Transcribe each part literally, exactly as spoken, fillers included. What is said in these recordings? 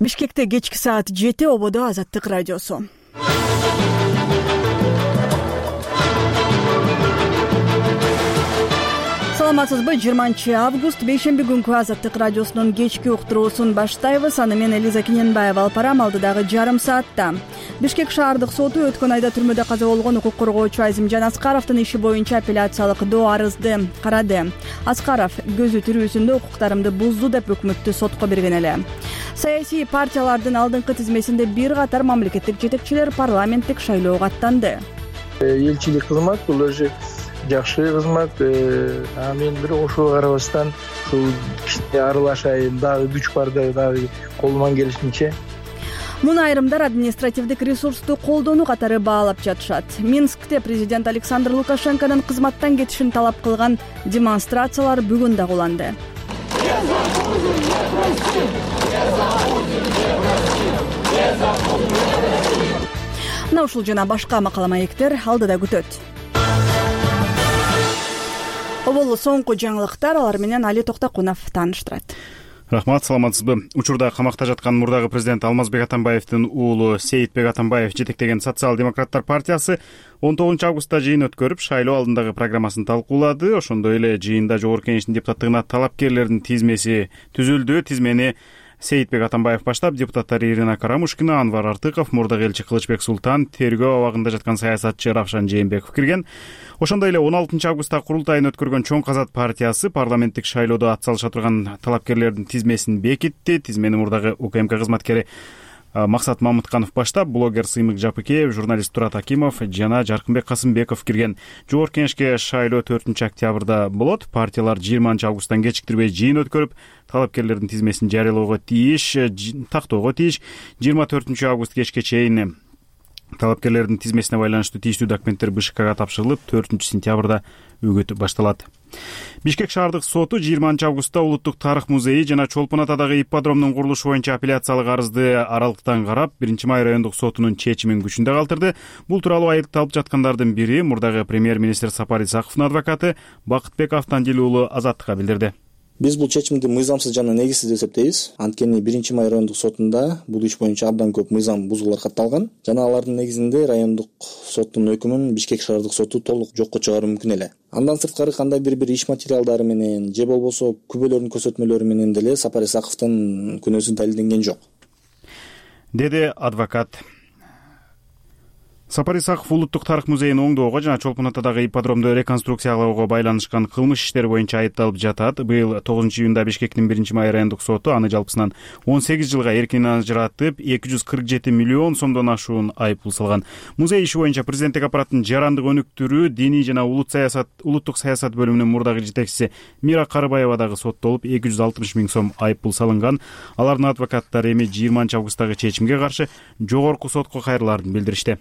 Бишкекте кечки саат жети, ободо Азаттык радиосу. Саламатсызбы? жыйырманчы август бейшемби күнкү Азаттык радиосунун кечки уктуруусун баштайбыз. Аны мен Элиза Кененбаева алып барам. Алдыдагы жарым саатта Бишкек шаардык соту өткөн айда түрмөдө каза болгон укук коргоочу Азимжан Аскаровдун иши боюнча апелляциялык доо арызды карады. Аскаров көзү тирүүсүндө укуктарымды бузду деп өкмөттү сотко берген эле. Саясий партиялардын алдыңкы тизмесинде бир катар мамлекеттик жетекчилер парламенттик шайлоого аттанды. Элчилик кызмат бул өзү жакшы кызмат. А мен бир ошого карабастан ушул кичине аралашайын, дагы күч бар дагы колуман келишинче. Муну айрымдар административдик ресурсту колдонуу катары баалап жатышат. Минскте президент Александр Лукашенконун кызматтан кетишин талап кылган демонстрациялар бүгүн да уланды. Мына ушул жана башка макала маектер алдыда күтөт. Обол соңку жаңылыктар, алар менен Али Токтокунов тааныштырат. Рахмат, саламатсызбы? Учурда камакта жаткан мурдагы президент Алмазбек Атамбаевдин уулу Сейитбек Атамбаев жетектеген Социал-демократтар партиясы он тогузунчу августта жыйын өткөрүп, шайлоо алдындагы программасын талкуулады. Ошондой эле жыйында Жогорку Кеңештин депутаттыгына талапкерлердин тизмеси түзүлдү. Тизмени Сейитбек Атамбаев баштап, депутаттар Ирина Карамушкина, Анвар Артыков, мурдагы элчи Кылычбек Султан, тергөө абагында жаткан саясатчы Равшан Жээнбеков кирген. Ошондой эле он алтынчы августта курултайын өткөргөн Чоң Казат партиясы парламенттик шайлоодо ат салыша турган талапкерлердин тизмесин бекитти. Тизмени мурдагы УКМК кызматкери Максат Мамытканов баштап, блогер Сыймык Жапыкеев, журналист Турат Акимов жана Жаркынбек Касымбеков кирген. Жогорку Кеңешке шайлоо төртүнчү октябрда болот. Партиялар жыйырманчы августтан кечиктирбей жыйын өткөрүп, талапкерлердин тизмесин жарыялоого тийиш, тактоого тийиш. жыйырма төртүнчү август кечке чейин талапкерлердин тизмесине байланыштуу тийиштүү документтер БШКга тапшырылып, төртүнчү сентябрда үгүт башталат. Бишкек шаардык соту жыйырманчы августта Улуттук тарых музейи жана Чолпон Атадагы ипподромдун курулушу боюнча апелляциялык арызды аралыктан карап, биринчи май райондук сотунун чечимин күчүндө калтырды. Бул тууралуу айыпталып жаткандардын бири мурдагы премьер-министр Сапар Исаковдун адвокаты Бакытбек Автандил уулу Азаттыкка билдирди. Биз бул чечимди мыйзамсыз жана негизсиз деп эсептейбиз. Анткени биринчи май райондук сотунда бул иш боюнча абдан көп мыйзам бузуулар катталган жана алардын негизинде райондук соттун өкүмүн Бишкек шаардык соту толук жокко чыгаруу мүмкүн эле. Андан сырткары кандайдыр бир иш материалдары менен же болбосо күбөлөрдүн көрсөтмөлөрү менен деле Сапар Исаковдун күнөөсү далилденген жок, деди адвокат. Сапар Исаков Улуттук тарых музейин оңдоого жана Чолпон Атадагы ипподромду реконструкциялоого байланышкан кылмыш иштери боюнча айыпталып жатат. Быйыл тогузунчу июнда Бишкектин биринчи май райондук соту аны жалпысынан он сегиз жылга эркинен ажыратып, эки жүз кырк жети миллион сомдон ашуун айыппул салган. Музей иши боюнча президенттик аппараттын жарандык өнүктүрүү, диний жана улут саясат улуттук саясат бөлүмүнүн мурдагы жетекчиси Мира Карыбаева дагы соттолуп, эки жүз алтымыш миң сом айыппул салынган. Алардын адвокаттары эми жыйырманчы августтагы чечимге каршы жогорку сотко кайрылаарын билдиришти.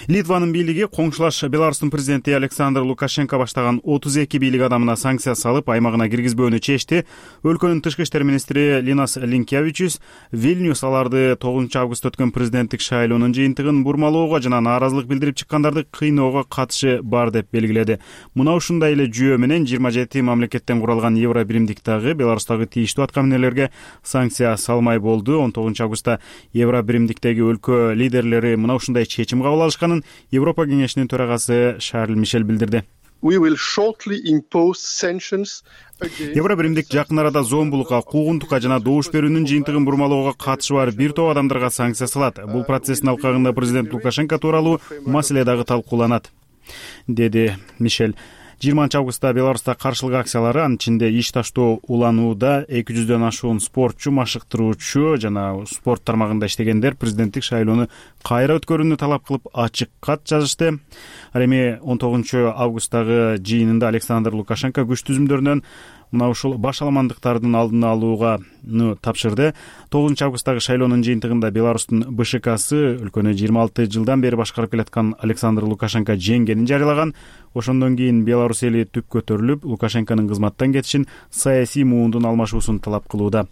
Литванын бийлиги коңшулаш Беларустун президенти Александр Лукашенко баштаган отуз эки бийлик адамына санкция салып, аймагына киргизбөөнү чечти. Өлкөнүн тышкы иштер министри Линас Линкевичус Вильнюс аларды тогузунчу августта өткөн президенттик шайлоонун жыйынтыгын бурмалоого жана нааразылык билдирип чыккандарды кыйноого катышы бар деп белгиледи. Мына ушундай эле жүйө менен жыйырма жети мамлекеттен куралган Евро биримдик дагы Беларустагы тийиштүү аткаминерлерге санкция салмай болду. он тогузунчу августта Евро биримдиктеги өлкө лидерлери мына ушундай чечим кабыл алышканын Европа кеңешинин төрагасы Шарль Мишель билдирди. Евро биримдик жакын арада зомбулукка, куугунтукка жана добуш берүүнүн жыйынтыгын бурмалоого катышы бар бир топ адамдарга санкция салат. Бул процесстин алкагында президент Лукашенко тууралуу маселе дагы талкууланат, деди Мишель. жыйырманчы августта Беларуста каршылык акциялары, анын ичинде иш таштоо уланууда эки жүздөн ашуун спортчу, машыктыруучу жана спорт тармагында иштегендер президенттик шайлоону кайра өткөрүүнү талап кылып ачык кат жазышты. Ал эми он тогузунчу августтагы жыйынында Александр Лукашенко күч түзүмдөрүнөн мына ушул башаламандыктардын алдын алууга тапшырды. тогузунчу августтагы шайлоонун жыйынтыгында Беларустун БШКсы өлкөнү жыйырма алты жылдан бери башкарып келаткан Александр Лукашенко жеңгенин жарыялаган. Ошондон кийин Беларусь эли түп көтөрүлүп, Лукашенконун кызматтан кетишин, саясий муундун алмашуусун талап кылууда.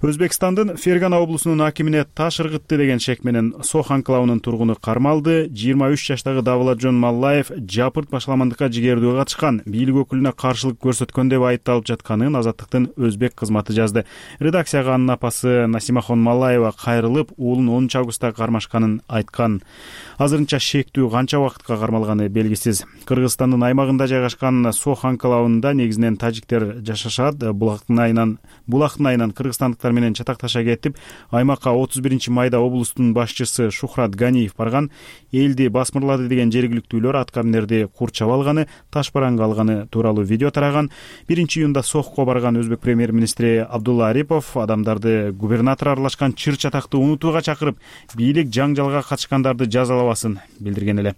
Өзбекстандын Фергана облусунун акимине таш ыргытты деген шек менен Сох анклавынын тургуну кармалды. жыйырма үч жаштагы Давлатжон Маллаев жапырт башаламандыкка жигердүү катышкан, бийлик өкүлүнө каршылык көрсөткөн деп айыпталып жатканын Азаттыктын өзбек кызматы жазды. Редакцияга анын апасы Насимахон Маллаева кайрылып, уулун онунчу августта кармашканын айткан. Азырынча шектүү канча убакытка кармалганы белгисиз. Кыргызстандын аймагында жайгашкан Сох анклавында негизинен тажиктер жашашат. Булактын айынан Булактын айынан кыргызстандыктар менен чатакташа кетип, аймакка отуз биринчи майда облустун башчысы Шухрат Ганиев барган. Элди басмырлады деген жергиликтүүлөр аткаминерди курчап алганы, таш бараңга алганы тууралуу видео тараган. биринчи июнда Сохко барган өзбек премьер-министри Абдулла Арипов адамдарды губернатор аралашкан чыр чатакты унутууга чакырып, бийлик жаңжалга катышкандарды жазалабасын билдирген эле.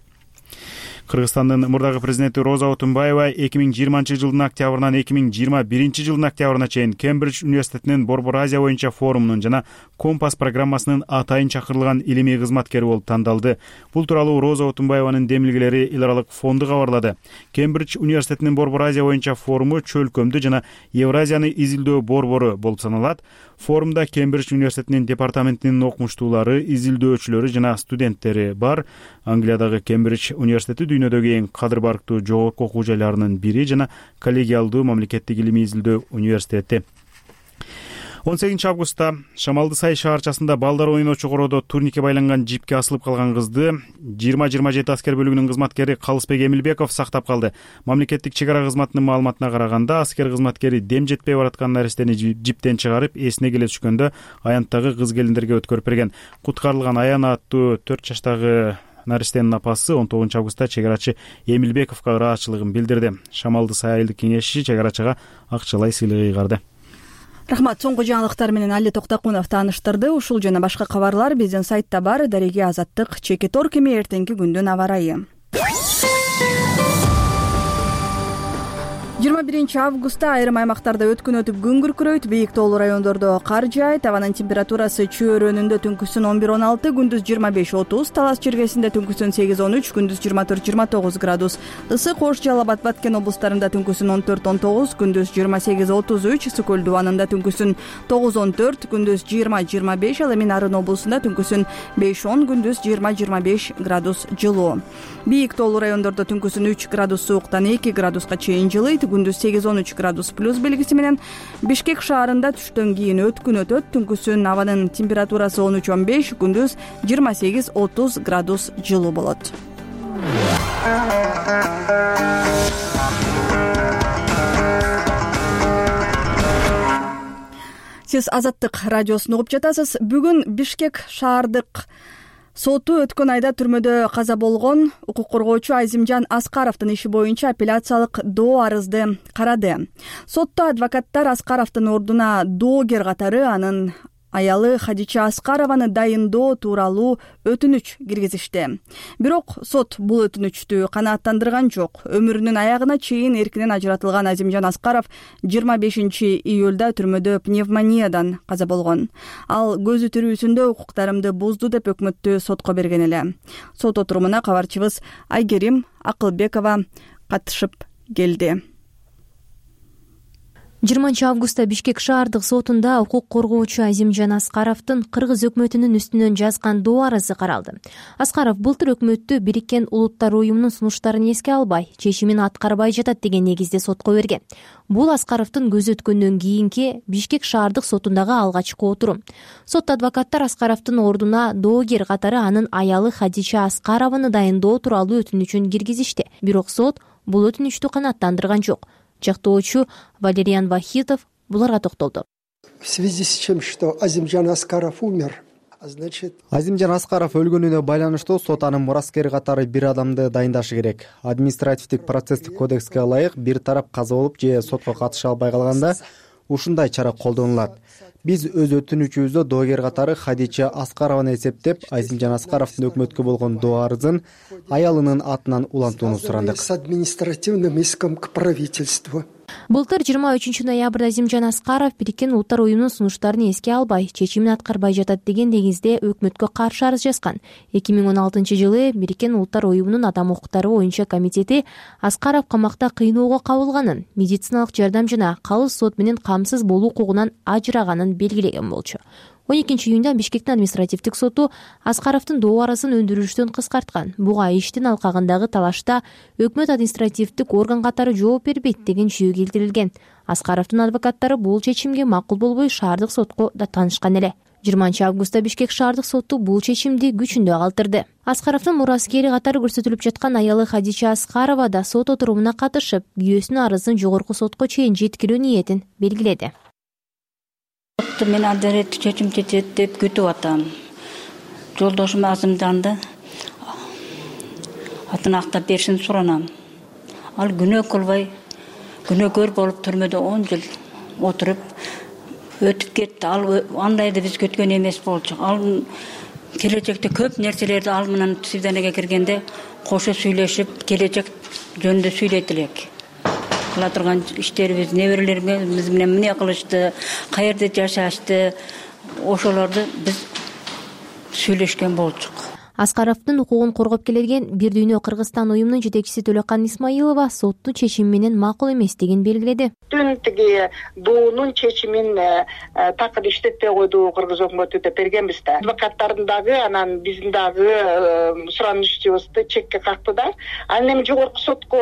Кыргызстандын мурдагы президенти Роза Отунбаева эки миң жыйырманчы жылдын октябрынан эки миң жыйырма биринчи жылдын октябрына чейин Кембридж университетинин Борбор Азия боюнча форумунун жана Компас программасынын атайын чакырылган илимий кызматкери болуп тандалды. Бул тууралуу Роза Отунбаеванын демилгелери эл аралык фонду кабарлады. Кембридж университетинин Борбор Азия боюнча форуму чөлкөмдү жана Евразияны изилдөө борбору болуп саналат. Форумда Кембридж университетинин департаментинин окумуштуулары, изилдөөчүлөрү жана студенттери бар. Англиядагы Кембридж университети дүйнөдөгү эң кадыр барктуу жогорку окуу жайларынын бири жана коллегиалдуу мамлекеттик илимий изилдөө университети. он сегизинчи августта Шамалды Сай шаарчасында балдар ойночу короодо турникке байланган жипке асылып калган кызды жыйырма жыйырма жети аскер бөлүгүнүн кызматкери Калысбек Эмилбеков сактап калды. Мамлекеттик чек ара кызматынын маалыматына караганда, аскер кызматкери дем жетпей бараткан наристени жиптен чыгарып, эсине келе түшкөндө аянттагы кыз келиндерге өткөрүп берген. Куткарылган Аян аттуу төрт жаштагы наристенин апасы он тогузунчу августта чек арачы Эмилбековго ыраазычылыгын билдирди. Шамалды Сай айылдык кеңеши чек арачыга акчалай сыйлык ыйгарды. Рахмат. Соңку жаңылыктар менен Али Токтокунов тааныштырды. Ушул жана башка кабарлар биздин сайтта бар. Дареги Азаттык, Чеке Торкеми, эртеңки күндүн аба ырайы. жыйырма биринчи августта айрым аймактарда өткүн өтүп күн күркүрөйт, бийик тоолуу райондордо кар жаайт. Абанын температурасы Чөйрөнүндө түнкүсүн он бир он алты, күндүз жыйырма беш отуз, Талас чиркесинде түнкүсүн сегиз он үч, күндүз жыйырма төрт жыйырма тогуз градус. Ысык Ош, Жалал Абад, Баткен облустарында түнкүсүн он төрт он тогуз, күндүз жыйырма сегиз отуз үч, Сүкөл дубанында түнкүсүн тогуз он төрт, күндүз жыйырма жыйырма беш, ал эми Нарын облусунда түнкүсүн беш он, күндүз жыйырма жыйырма беш градус жылуу. Бийик тоолуу райондордо түнкүсүн үч градус сууктан эки градуска чейин жылыйт, күндүз сегиз он үч градус плюс белгиси менен. Бишкек шаарында түштөн кийин өткүн өтөт, түнкүсүн абанын температурасы он үч он беш, күндүз жыйырма сегиз отуз градус жылуу болот. Сиз Азаттык радиосун угуп жатасыз. Бүгүн Бишкек шаардык соту өткөн айда түрмөдө каза болгон укук коргоочу Азимжан Аскаровдун иши боюнча апелляциялык доо арызды карады. Сотто адвокаттар Аскаровдун ордуна доогер катары анын аялы Хадича Аскарованы дайындоо тууралуу өтүнүч киргизишти. Бирок сот бул өтүнүчтү канааттандырган жок. Өмүрүнүн аягына чейин эркинен ажыратылган Азимжан Аскаров жыйырма бешинчи июлда түрмөдө пневмониядан каза болгон. Ал көзү тирүүсүндө укуктарымды бузду деп өкмөттү сотко берген эле. Сот отурумуна кабарчыбыз Айгерим Акылбекова катышып келди. жыйырманчы августта Бишкек шаардык сотунда укук коргоочу Азимжан Аскаровдун кыргыз өкмөтүнүн үстүнөн жазган доо арызы каралды. Аскаров былтыр өкмөттү Бириккен Улуттар уюмунун сунуштарын эске албай, чечимин аткарбай жатат деген негизде сотко берген. Бул Аскаровдун көзү өткөндөн кийинки Бишкек шаардык сотундагы алгачкы отурум. Сот адвокаттар Аскаровдун ордуна доогер катары анын аялы Хадича Аскарованы дайындоо тууралуу өтүнүчүн киргизишти. Бирок сот бул өтүнүчтү канааттандырган жок. Жактоочу Валериан Вахитов буларга токтолду. В связи с тем, что Азимжан Аскаров умер, значит... Азимжан Аскаров өлгөнүнө байланыштуу сот анын мураскери катары бир адамды дайындашы керек. Административдик процесстик кодекске ылайык бир тарап каза болуп же сотко катыша албай калганда ушундай чара колдонулат. Биз өз өтүнүчүбүздө доогер катары Хадича Аскарованы эсептеп, Азимжан Аскаровдун өкмөткө болгон доо арызын аялынын атынан улантууну сурандык. С административным иском к правительству. Былтыр жыйырма үчүнчү ноябрда Азимжан Аскаров Бириккен Улуттар уюмунун сунуштарын эске албай, чечимин аткарбай жатат деген негизде өкмөткө каршы арыз жазган. эки миң он алтынчы жылы Бириккен Улуттар уюмунун адам укуктары боюнча комитети Аскаров камакта кыйноого кабылганын, медициналык жардам жана калыс сот менен камсыз болуу укугунан ажыраганын белгилеген болчу. он экинчи июнда Бишкектин административдик соту Аскаровдун добарасын өндүрүштөн кыскарткан. Буга иштин алкагындагы талашта өкмөт административдик орган катары жооп бербейт деген жүйө келтирилген. Аскаровдун адвокаттары бул чечимге макул болбой шаардык сотко да таанышкан эле. жыйырманчы августта Бишкек шаардык соту бул чечимди күчүндө калтырды. Аскаровдун мураскери катары көрсөтүлүп жаткан аялы Хадича Аскарова да сот отурумуна катышып, күйөөсүнүн арызын жогорку сотко чейин жеткирүү ниетин белгиледи. Мен адалет чечим чечет деп күтүп атам. Жолдошум Азимжанды атын актап беришин суранам. Ал күнөө кылбай, күнөөкөр болуп түрмөдө он жыл отуруп өтүп кетти. Ал андайды биз күткөн эмес болчу. Ал келечекте көп нерселерди ал менен свиданиеге киргенде кошо сүйлөшүп, келечек жөнүндө сүйлөйт элек. Кыла турган иштерибиз, неберелерибиз менен эмне кылышты, каерде жашашты, ошолорду биз сүйлөшкөн болчук. Аскаровдун укугун коргоп келген Бир Дүйнө Кыргызстан уюмунун жетекчиси Төлөкан Исмаилова соттун чечими менен макул эместигин белгиледи. Түн тиги буунун чечимин такыр иштетпей койду Кыргыз өкмөтү деп бергенбиз да. Адвокаттардын дагы, анан биздин дагы суранышыбызды чекке какты да. Анан эми жогорку сотко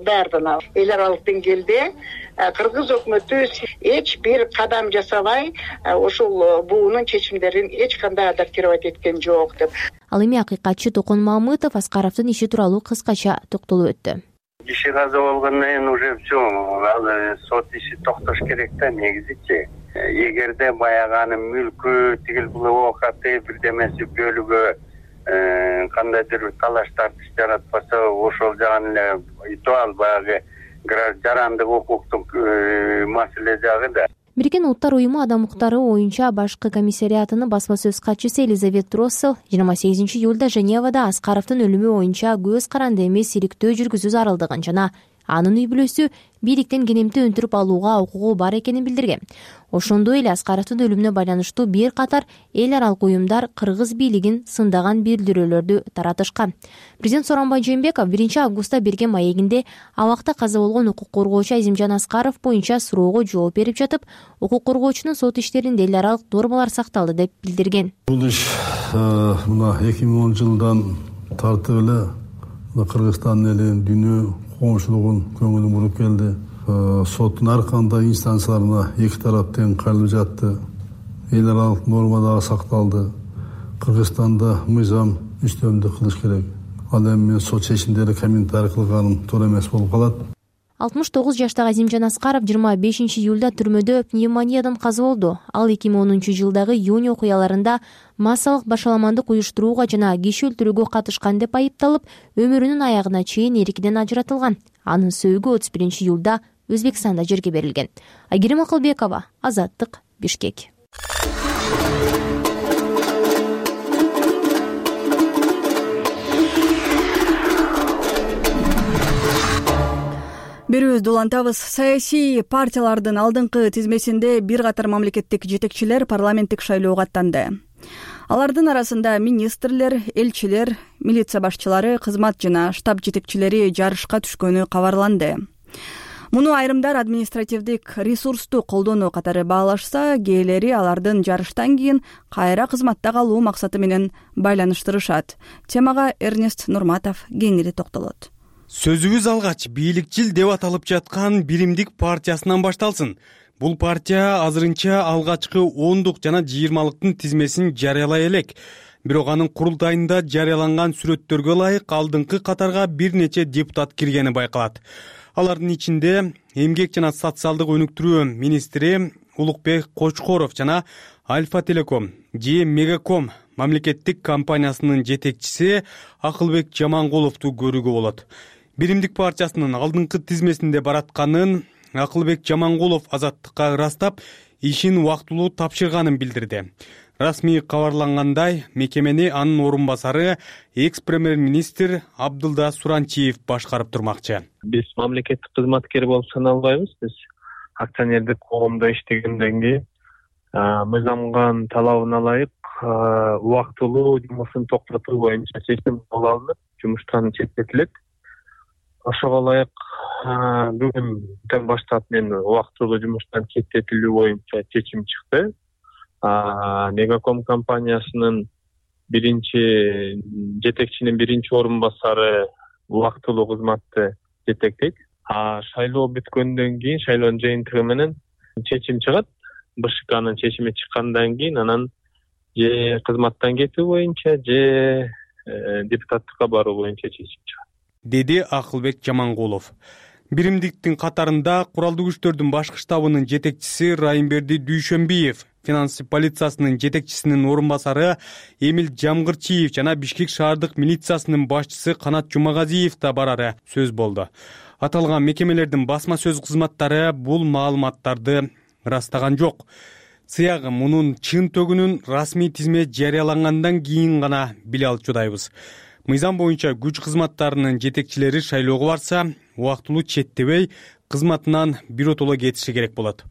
даярданабыз. Эл аралык деңгээлде Кыргыз өкмөтү эч бир кадам жасабай ошол буунун чечимдерин эч кандай адаптировать эткен жок деп. Ал эми акыйкатчы Токон Мамытов Аскаровдун иши тууралуу кыскача токтолуп өттү. Киши каза болгондон кийин уже все, ал сот иши токтош керек да негизичи. Эгерде баягы анын мүлкү, тигил бул оокаты бирдемеси бөлүгү кандайдыр талаш тартыш жаратпаса, ошол жагын эле итуал баягы жарандык укуктук маселе жагы да. Бириккен Улуттар уюму адам укуктары боюнча башкы комиссариатынын басма сөз катчысы Элизабет Россел жыйырма сегизинчи июлда Женевада Аскаровдун өлүмү боюнча көз каранды эмес иликтөө жүргүзүү зарылдыгын жана анын үй бүлөсү бийликтен кенемти өндүрүп алууга укугу бар экенин билдирген. Ошондой эле Аскаровдун өлүмүнө байланыштуу бир катар эл аралык уюмдар кыргыз бийлигин сындаган билдирүүлөрдү таратышкан. Президент Сооронбай Жээнбеков биринчи августта берген маегинде абакта каза болгон укук коргоочу Азимжан Аскаров боюнча суроого жооп берип жатып, укук коргоочунун сот иштеринде эл аралык нормалар сакталды деп билдирген. Бул иш мына эки миң он жылдан тартып эле Кыргызстан элинин дүйнө коомчулугун көңүлү буруп келди. Соттун ар кандай инстанцияларына эки тарап тең кайрылып жатты. Эл аралык норма дагы сакталды. Кыргызстанда мыйзам үстөмдүк кылыш керек. Ал эми сот чечимдери комментарий кылганым туура эмес болуп калат. алтымыш тогуз жаштагы Азимжан Аскаров жыйырма бешинчи июлда түрмөдө пневмониядан каза болду. Ал эки миң онунчу жылдагы июнь окуяларында массалык башаламандык уюштурууга жана киши өлтүрүүгө катышкан деп айыпталып, өмүрүнүн аягына чейин эркинен ажыратылган. Анын сөөгү отуз биринчи июлда Өзбекстанда жерге берилген. Айгерим Акылбекова, Азаттык, Бишкек. Берүүбүздү улантабыз. Саясий партиялардын алдыңкы тизмесинде бир катар мамлекеттик жетекчилер парламенттик шайлоого аттанды. Алардын арасында министрлер, элчилер, милиция башчылары, кызмат жана штаб жетекчилери жарышка түшкөнү кабарланды. Муну айрымдар административдик ресурсту колдонуу катары баалашса, кээелери алардын жарыштан кийин кайра кызматта калуу максаты менен байланыштырышат. Темага Эрнест Нурматов кеңири токтолот. Сөзүбүз алгач бийликчил деп аталып жаткан Биримдик партиясынан башталсын. Бул партия азырынча алгачкы ондук жана жыйырмалыктын тизмесин жарыялай элек. Бирок анын курултайында жарыяланган сүрөттөргө ылайык алдыңкы катарга бир нече депутат киргени байкалат. Алардын ичинде эмгек жана социалдык өнүктүрүү министри Улукбек Кочкоров жана Альфа Телеком же Мегаком мамлекеттик компаниясынын жетекчиси Акылбек Жамангуловду көрүүгө болот. Биримдик партиясынын алдыңкы тизмесинде баратканын Акылбек Жамангулов Азаттыкка ырастап, ишин убактылуу тапшырганын билдирди. Расмий кабарлангандай, мекемени анын орун басары экс премьер-министр Абдылда Суранчиев башкарып турмакчы. Биз мамлекеттик кызматкер болуп саналбайбыз. Биз акционердик коомдо иштегенден кийин мыйзамган талабына ылайык убактылуу жумушун токтотуу боюнча чечим кабыл алынып, жумуштан четтетилет. Ошого ылайык бүгүндөн баштап мен убактылуу жумуштан четтетилүү боюнча чечим чыкты. Мегаком компаниясынын биринчи жетекчинин биринчи орун басары убактылуу кызматты жетектейт. А шайлоо бүткөндөн кийин шайлоонун жыйынтыгы менен чечим чыгат. БШКнын чечими чыккандан кийин анан же кызматтан кетүү боюнча, же депутаттыкка баруу боюнча чечим чыгат, деди Акылбек Жамангулов. Биримдиктин катарында куралдуу күчтөрдүн башкы штабынын жетекчиси Райымберди Дүйшөнбиев, финансы полициясынын жетекчисинин орун басары Эмил Жамгырчиев жана Бишкек шаардык милициясынын башчысы Канат Жумагазиев да барары сөз болду. Аталган мекемелердин басма сөз кызматтары бул маалыматтарды ырастаган жок. Сыягы мунун чын төгүнүн расмий тизме жарыялангандан кийин гана биле алчудайбыз. Мыйзам боюнча күч кызматтарынын жетекчилери шайлоого барса, убактылуу четтебей, кызматынан биротоло кетиши керек болот.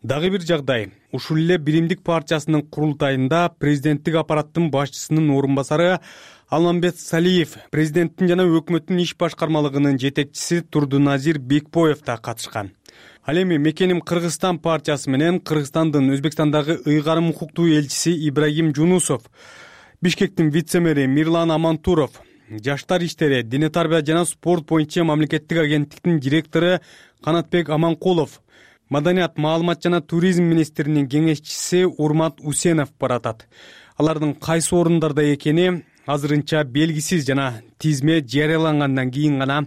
Дагы бир жагдай, ушул эле Биримдик партиясынын курултайында президенттик аппараттын башчысынын орун басары Алмамбет Салиев, президенттин жана өкмөттүн иш башкармалыгынын жетекчиси Турдуназир Бекбоев да катышкан. Ал эми мекеним Кыргызстан партиясы менен Кыргызстандын Өзбекстандагы ыйгарым укуктуу элчиси Ибрагим Жунусов, Бишкектин вице-мэри Мирлан Амантуров, Жаштар иштери, дене тарбия жана спорт боюнча мамлекеттик агенттиктин директору Канатбек Аманкулов, Маданият, маалымат жана туризм министринин кеңешчиси Урмат Усенов баратат. Алардын кайсы орундарда экени азырынча белгисиз жана тизме жарыялангандан кийин гана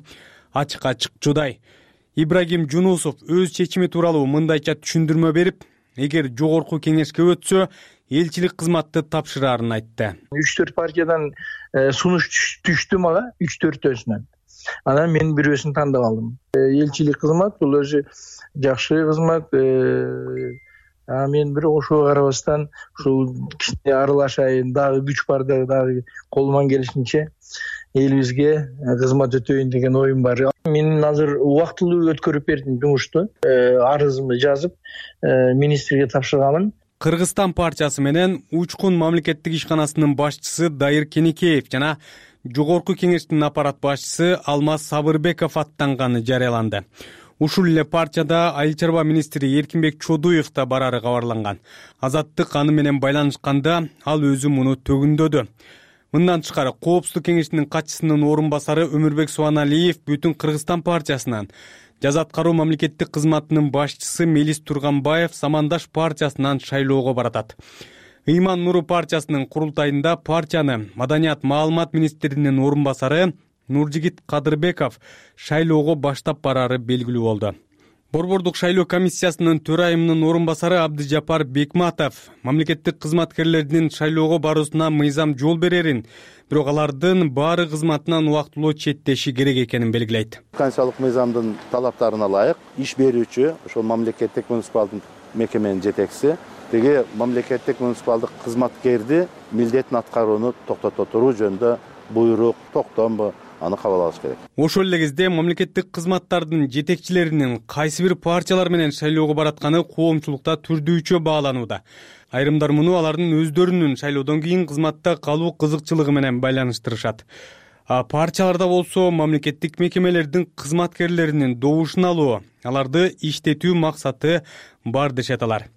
ачыкка чыкчудай. Ибрагим Жунусов өз чечими тууралуу мындайча түшүндүрмө берип, эгер жогорку кеңешке өтсө, элчилик кызматты тапшырарын айтты. үч төрт партиядан сунуш түштү мага, үч төртөөсүнөн. Анан мен бирөөсүн тандап алдым. Элчилик кызмат бул өзү жакшы кызмат. А мен бир ошого карабастан ушул кичине аралашайын, дагы күч бар, дагы колуман келишинче элибизге кызмат өтөйүн деген оюм бар. Мен азыр убактылуу өткөрүп бердим жумушту. Арызымды жазып, министрге тапшырганмын. Кыргызстан партиясы менен Учкун мамлекеттик ишканасынын башчысы Дайыр Кенекеев жана жогорку кеңештин аппарат башчысы Алмаз Сабырбеков аттанганы жарыяланды. Ушул эле партияда айыл чарба министри Эркинбек Чодуев да барары кабарланган. Азаттык аны менен байланышканда ал өзү муну төгүндөдү. Мындан тышкары Коопсуздук кеңешинин катчысынын орун басары Өмүрбек Суаналиев Бүтүн Кыргызстан партиясынан, жаза аткаруу мамлекеттик кызматынын башчысы Мелис Турганбаев Самандаш партиясынан шайлоого баратат. Ыйман Нуру партиясынын курултайында партияны Маданият, маалымат министринин орун басары Нуржигит Кадырбеков шайлоого баштап барары белгилүү болду. Борбордук шайлоо комиссиясынын төрайымынын орун басары Абдыжапар Бекматов мамлекеттик кызматкерлердин шайлоого баруусуна мыйзам жол берерин, бирок алардын баары кызматынан убактылуу четтеши керек экенин белгилейт. Конституциялык мыйзамдын талаптарына ылайык иш берүүчү ошол мамлекеттик муниципалдык мекеменин жетекчиси теге мамлекеттик муниципалдык кызматкерди милдетин аткарууну токтото туруу жөнүндө буйрук, токтомбу аны кабыл алыш керек. Ошол эле кезде мамлекеттик кызматтардын жетекчилеринин кайсы бир партиялар менен шайлоого баратканы коомчулукта түрдүүчө бааланууда. Айрымдар муну алардын өздөрүнүн шайлоодон кийин кызматта калуу кызыкчылыгы менен байланыштырышат. А партияларда болсо мамлекеттик мекемелердин кызматкерлеринин добушун алуу, аларды иштетүү максаты бар дешет алар.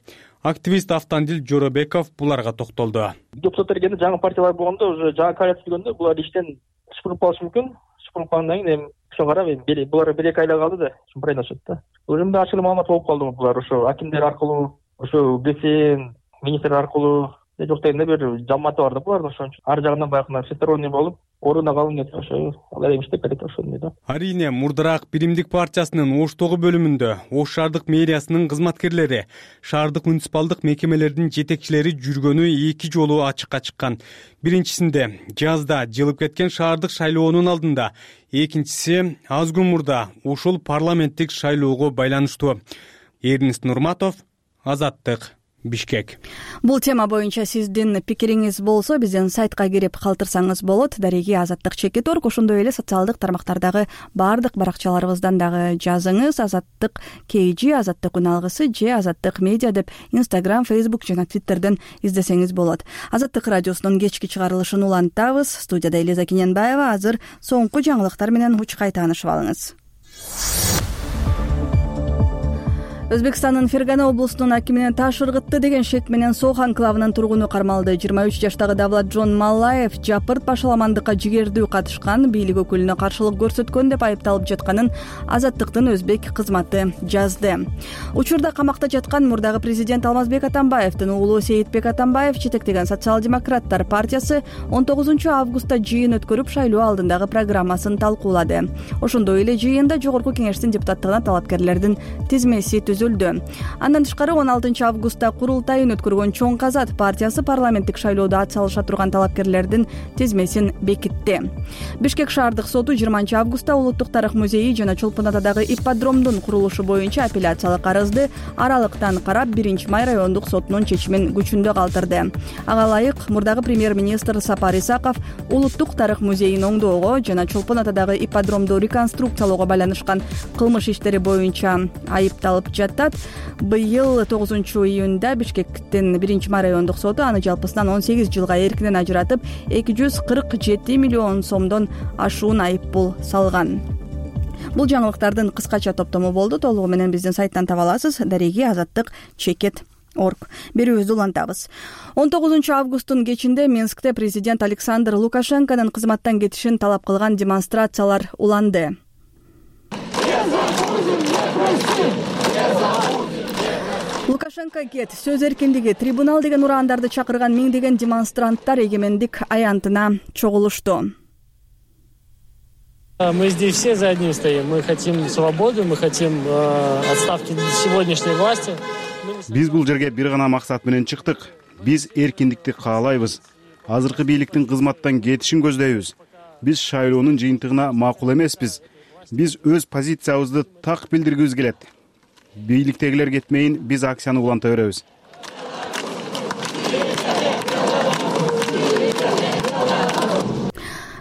Активист Автандил Жоробеков буларга токтолду. Депутаттар келгенде жаңы партиялар болгондо, уже жаңы коалиция түзгөндө булар иштен сыпырып калышы мүмкүн. Сыпырып калгандан кийин эми ошого карап эми булар бир эки айла калды да, шымпырайнашат да. Уже мындай ачык маалымат болуп калды булар ошо акимдер аркылуу, ошо ГСН министр аркылуу, жок дегенде бир жамааты бар да булардын, ошон үчүн ар жагынан баягы всесторонний болуп, ордуна калып кетип ошо алар эми иштеп берет ошондой да. Арине мурдараак Биримдик партиясынын Оштогу бөлүмүндө Ош шаардык мэриясынын кызматкерлери, шаардык муниципалдык мекемелердин жетекчилери жүргөнү эки жолу ачыкка чыккан. Биринчисинде жазда жылып кеткен шаардык шайлоонун алдында, экинчиси аз күн мурда ушул парламенттик шайлоого байланыштуу. Эрнест Нурматов, Азаттык, Бишкек. Бул тема боюнча сиздин пикириңиз болсо биздин сайтка кирип калтырсаңыз болот. Дареги Азаттык чекит орг. Ошондой эле социалдык тармактардагы баардык баракчаларыбыздан дагы жазыңыз. Азаттык kg, Азаттык үн алгысы же Азаттык медиа деп Instagram, Facebook жана Twitterден издесеңиз болот. Азаттык радиосунун кечки чыгарылышын улантабыз. Студияда Элиза Киненбаева. Азыр соңку жаңылыктар менен учкай таанышып алыңыз. Өзбекстандын Фергана облусунун акимине таш ыргытты деген шек менен Сох анклавынын тургуну кармалды. жыйырма үч жаштагы Давлат Джон Маллаев жапырт башаламандыкка жигердүү катышкан, бийлик өкүлүнө каршылык көрсөткөн деп айыпталып жатканын Азаттыктын өзбек кызматы жазды. Учурда камакта жаткан мурдагы президент Алмазбек Атамбаевдин уулу Сейитбек Атамбаев жетектеген социал-демократтар партиясы он тогузунчу августта жыйын өткөрүп шайлоо алдындагы программасын талкуулады. Ошондой эле жыйында жогорку кеңештин депутаттыгына талапкерлердин тизмеси түзүлдү. Андан тышкары он алтынчы августта курултайын өткөргөн Чоң Казат партиясы парламенттик шайлоодо ат салыша турган талапкерлердин тизмесин бекитти. Бишкек шаардык соту жыйырманчы августта Улуттук тарых музейи жана Чолпон Атадагы ипподромдун курулушу боюнча апелляциялык арызды аралыктан карап биринчи май райондук сотунун чечимин күчүндө калтырды. Ага ылайык мурдагы премьер-министр Сапар Исаков Улуттук тарых музейин оңдоого жана Чолпон Атадагы ипподромду реконструкциялоого байланышкан кылмыш иштери боюнча айыпталып жатат. Быйыл тогузунчу июнда Бишкектин биринчи май райондук соту аны жалпысынан он сегиз жылга эркинен ажыратып, эки жүз кырк жети миллион сомдон ашуун айыппул салган. Бул жаңылыктардын кыскача топтому болду. Толугу менен биздин сайттан таба аласыз. Дареги Азаттык чекит орг. Берүүбүздү улантабыз. он тогузунчу августтун кечинде Минскте президент Александр Лукашенконун кызматтан кетишин талап кылган демонстрациялар уланды. Лукашенко кет, сөз эркиндиги, трибунал деген урандарды чакырган миңдеген демонстранттар эгемендик аянтына чогулушту. Мы здесь все за одним стоим. Мы хотим свободу, мы хотим э, отставки сегодняшней власти. Биз бул жерге бир гана максат менен чыктык. Биз эркиндикти каалайбыз. Азыркы бийликтин кызматтан кетишин көздөйбүз. Биз шайлоонун жыйынтыгына макул эмеспиз. Биз өз позициябызды так билдиргибиз келет. Бийликтегилер кетмейин, биз акцияны уланта беребиз.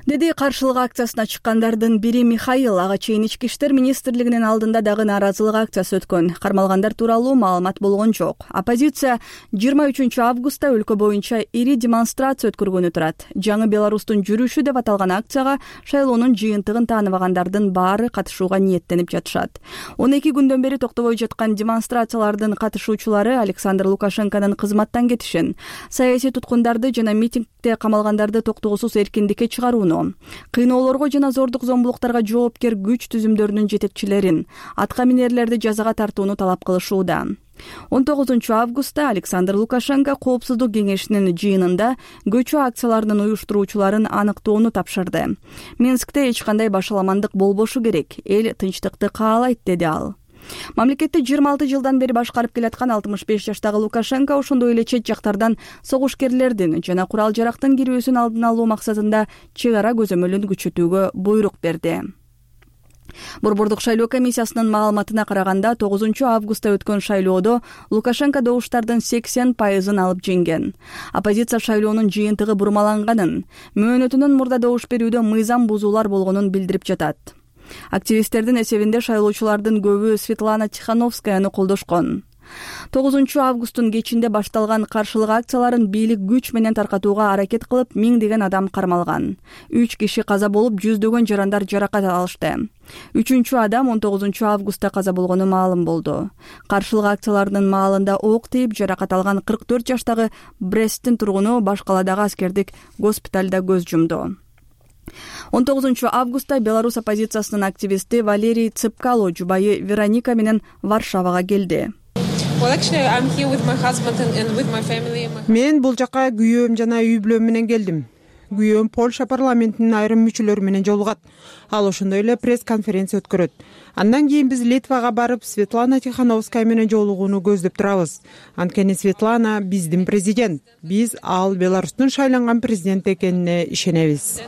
Деди каршылык акциясына чыккандардын бири Михаил. Ага чейин ички иштер министрлигинин алдында дагы нааразылык акциясы өткөн. Кармалгандар тууралуу маалымат болгон жок. Оппозиция жыйырма үчүнчү августта өлкө боюнча ири демонстрация өткөргөнү турат. Жаңы Беларустун жүрүшү деп аталган акцияга шайлоонун жыйынтыгын тааныбагандардын баары катышууга ниеттенип жатышат. он эки күндөн бери токтобой жаткан демонстрациялардын катышуучулары Александр Лукашенконун кызматтан кетишин, саясий туткундарды жана митингде камалгандарды токтоосуз эркиндикке чыгарууну, кыйноолорго жана зордук зомбулуктарга жоопкер күч түзүмдөрүнүн жетекчилерин, атка минерлерди жазага тартууну талап кылышууда. он тогузунчу августта Александр Лукашенко Коопсуздук кеңешинин жыйынында көчүү акцияларынын уюштуруучуларын аныктоону тапшырды. Минскте эч кандай башаламандык болбошу керек, эл тынчтыкты каалайт, деди ал. Мамлекетти жыйырма алты жылдан бери башкарып келаткан алтымыш беш жаштагы Лукашенко ошондой эле чет жактардан согушкерлердин жана курал жарактын кирүүсүн алдын алуу максатында чек ара көзөмөлүн күчөтүүгө буйрук берди. Борбордук шайлоо комиссиясынын маалыматына караганда тогузунчу августта өткөн шайлоодо Лукашенко добуштардын сексен пайызын алып жеңген. Оппозиция шайлоонун жыйынтыгы бурмаланганын, мөөнөтүнөн мурда добуш берүүдө мыйзам бузуулар болгонун билдирип жатат. Активисттердин эсебинде шайлоочулардын көбү Светлана Тихановскаяны колдошкон. тогузунчу августтун кечинде башталган каршылык акцияларын бийлик күч менен таркатууга аракет кылып миңдеген адам кармалган. үч киши каза болуп, жүздөгөн жарандар жаракат алышты. үчүнчү адам он тогузунчу августта каза болгону маалым болду. Каршылык акцияларынын маалында ок тийип жаракат алган кырк төрт жаштагы Бресттин тургуну баш каладагы аскердик госпиталда көз жумду. он тогузунчу августта Беларусь оппозициясынын активисти Валерий Цыпкало жубайы Вероника менен Варшавага келди. Мен бул жака күйөөм жана үй бүлөм менен келдим. Күйөөм Польша парламентинин айрым мүчөлөрү менен жолугат. Ал ошондой эле пресс-конференция өткөрөт. Андан кийин биз Литвага барып Светлана Тихановская менен жолугууну көздөп турабыз. Анткени Светлана биздин президент. Биз ал Беларустун шайланган президент экенине ишенебиз.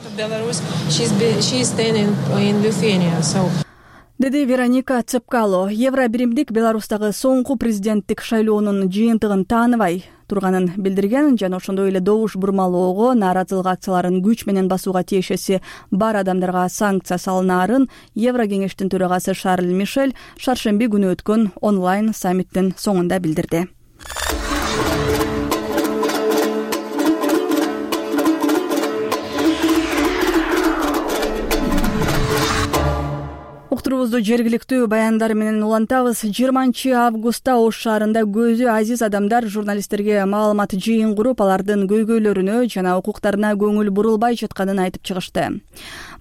деди Вероника Цепкало. Евро биримдик Беларустагы соңку президенттик шайлоонун жыйынтыгын тааныбай турганын билдирген жана ошондой эле добуш бурмалоого, нааразылык акцияларын күч менен басууга тиешеси бар адамдарга санкция салынаарын Евро кеңештин төрагасы Шарль Мишель шаршемби күнү өткөн онлайн саммиттин соңунда билдирди. Уктурубузду жергиликтүү баяндар менен улантабыз. жыйырманчы августта Ош шаарында көзү азиз адамдар журналисттерге маалымат жыйын куруп, алардын көйгөйлөрүнө жана укуктарына көңүл бурулбай жатканын айтып чыгышты.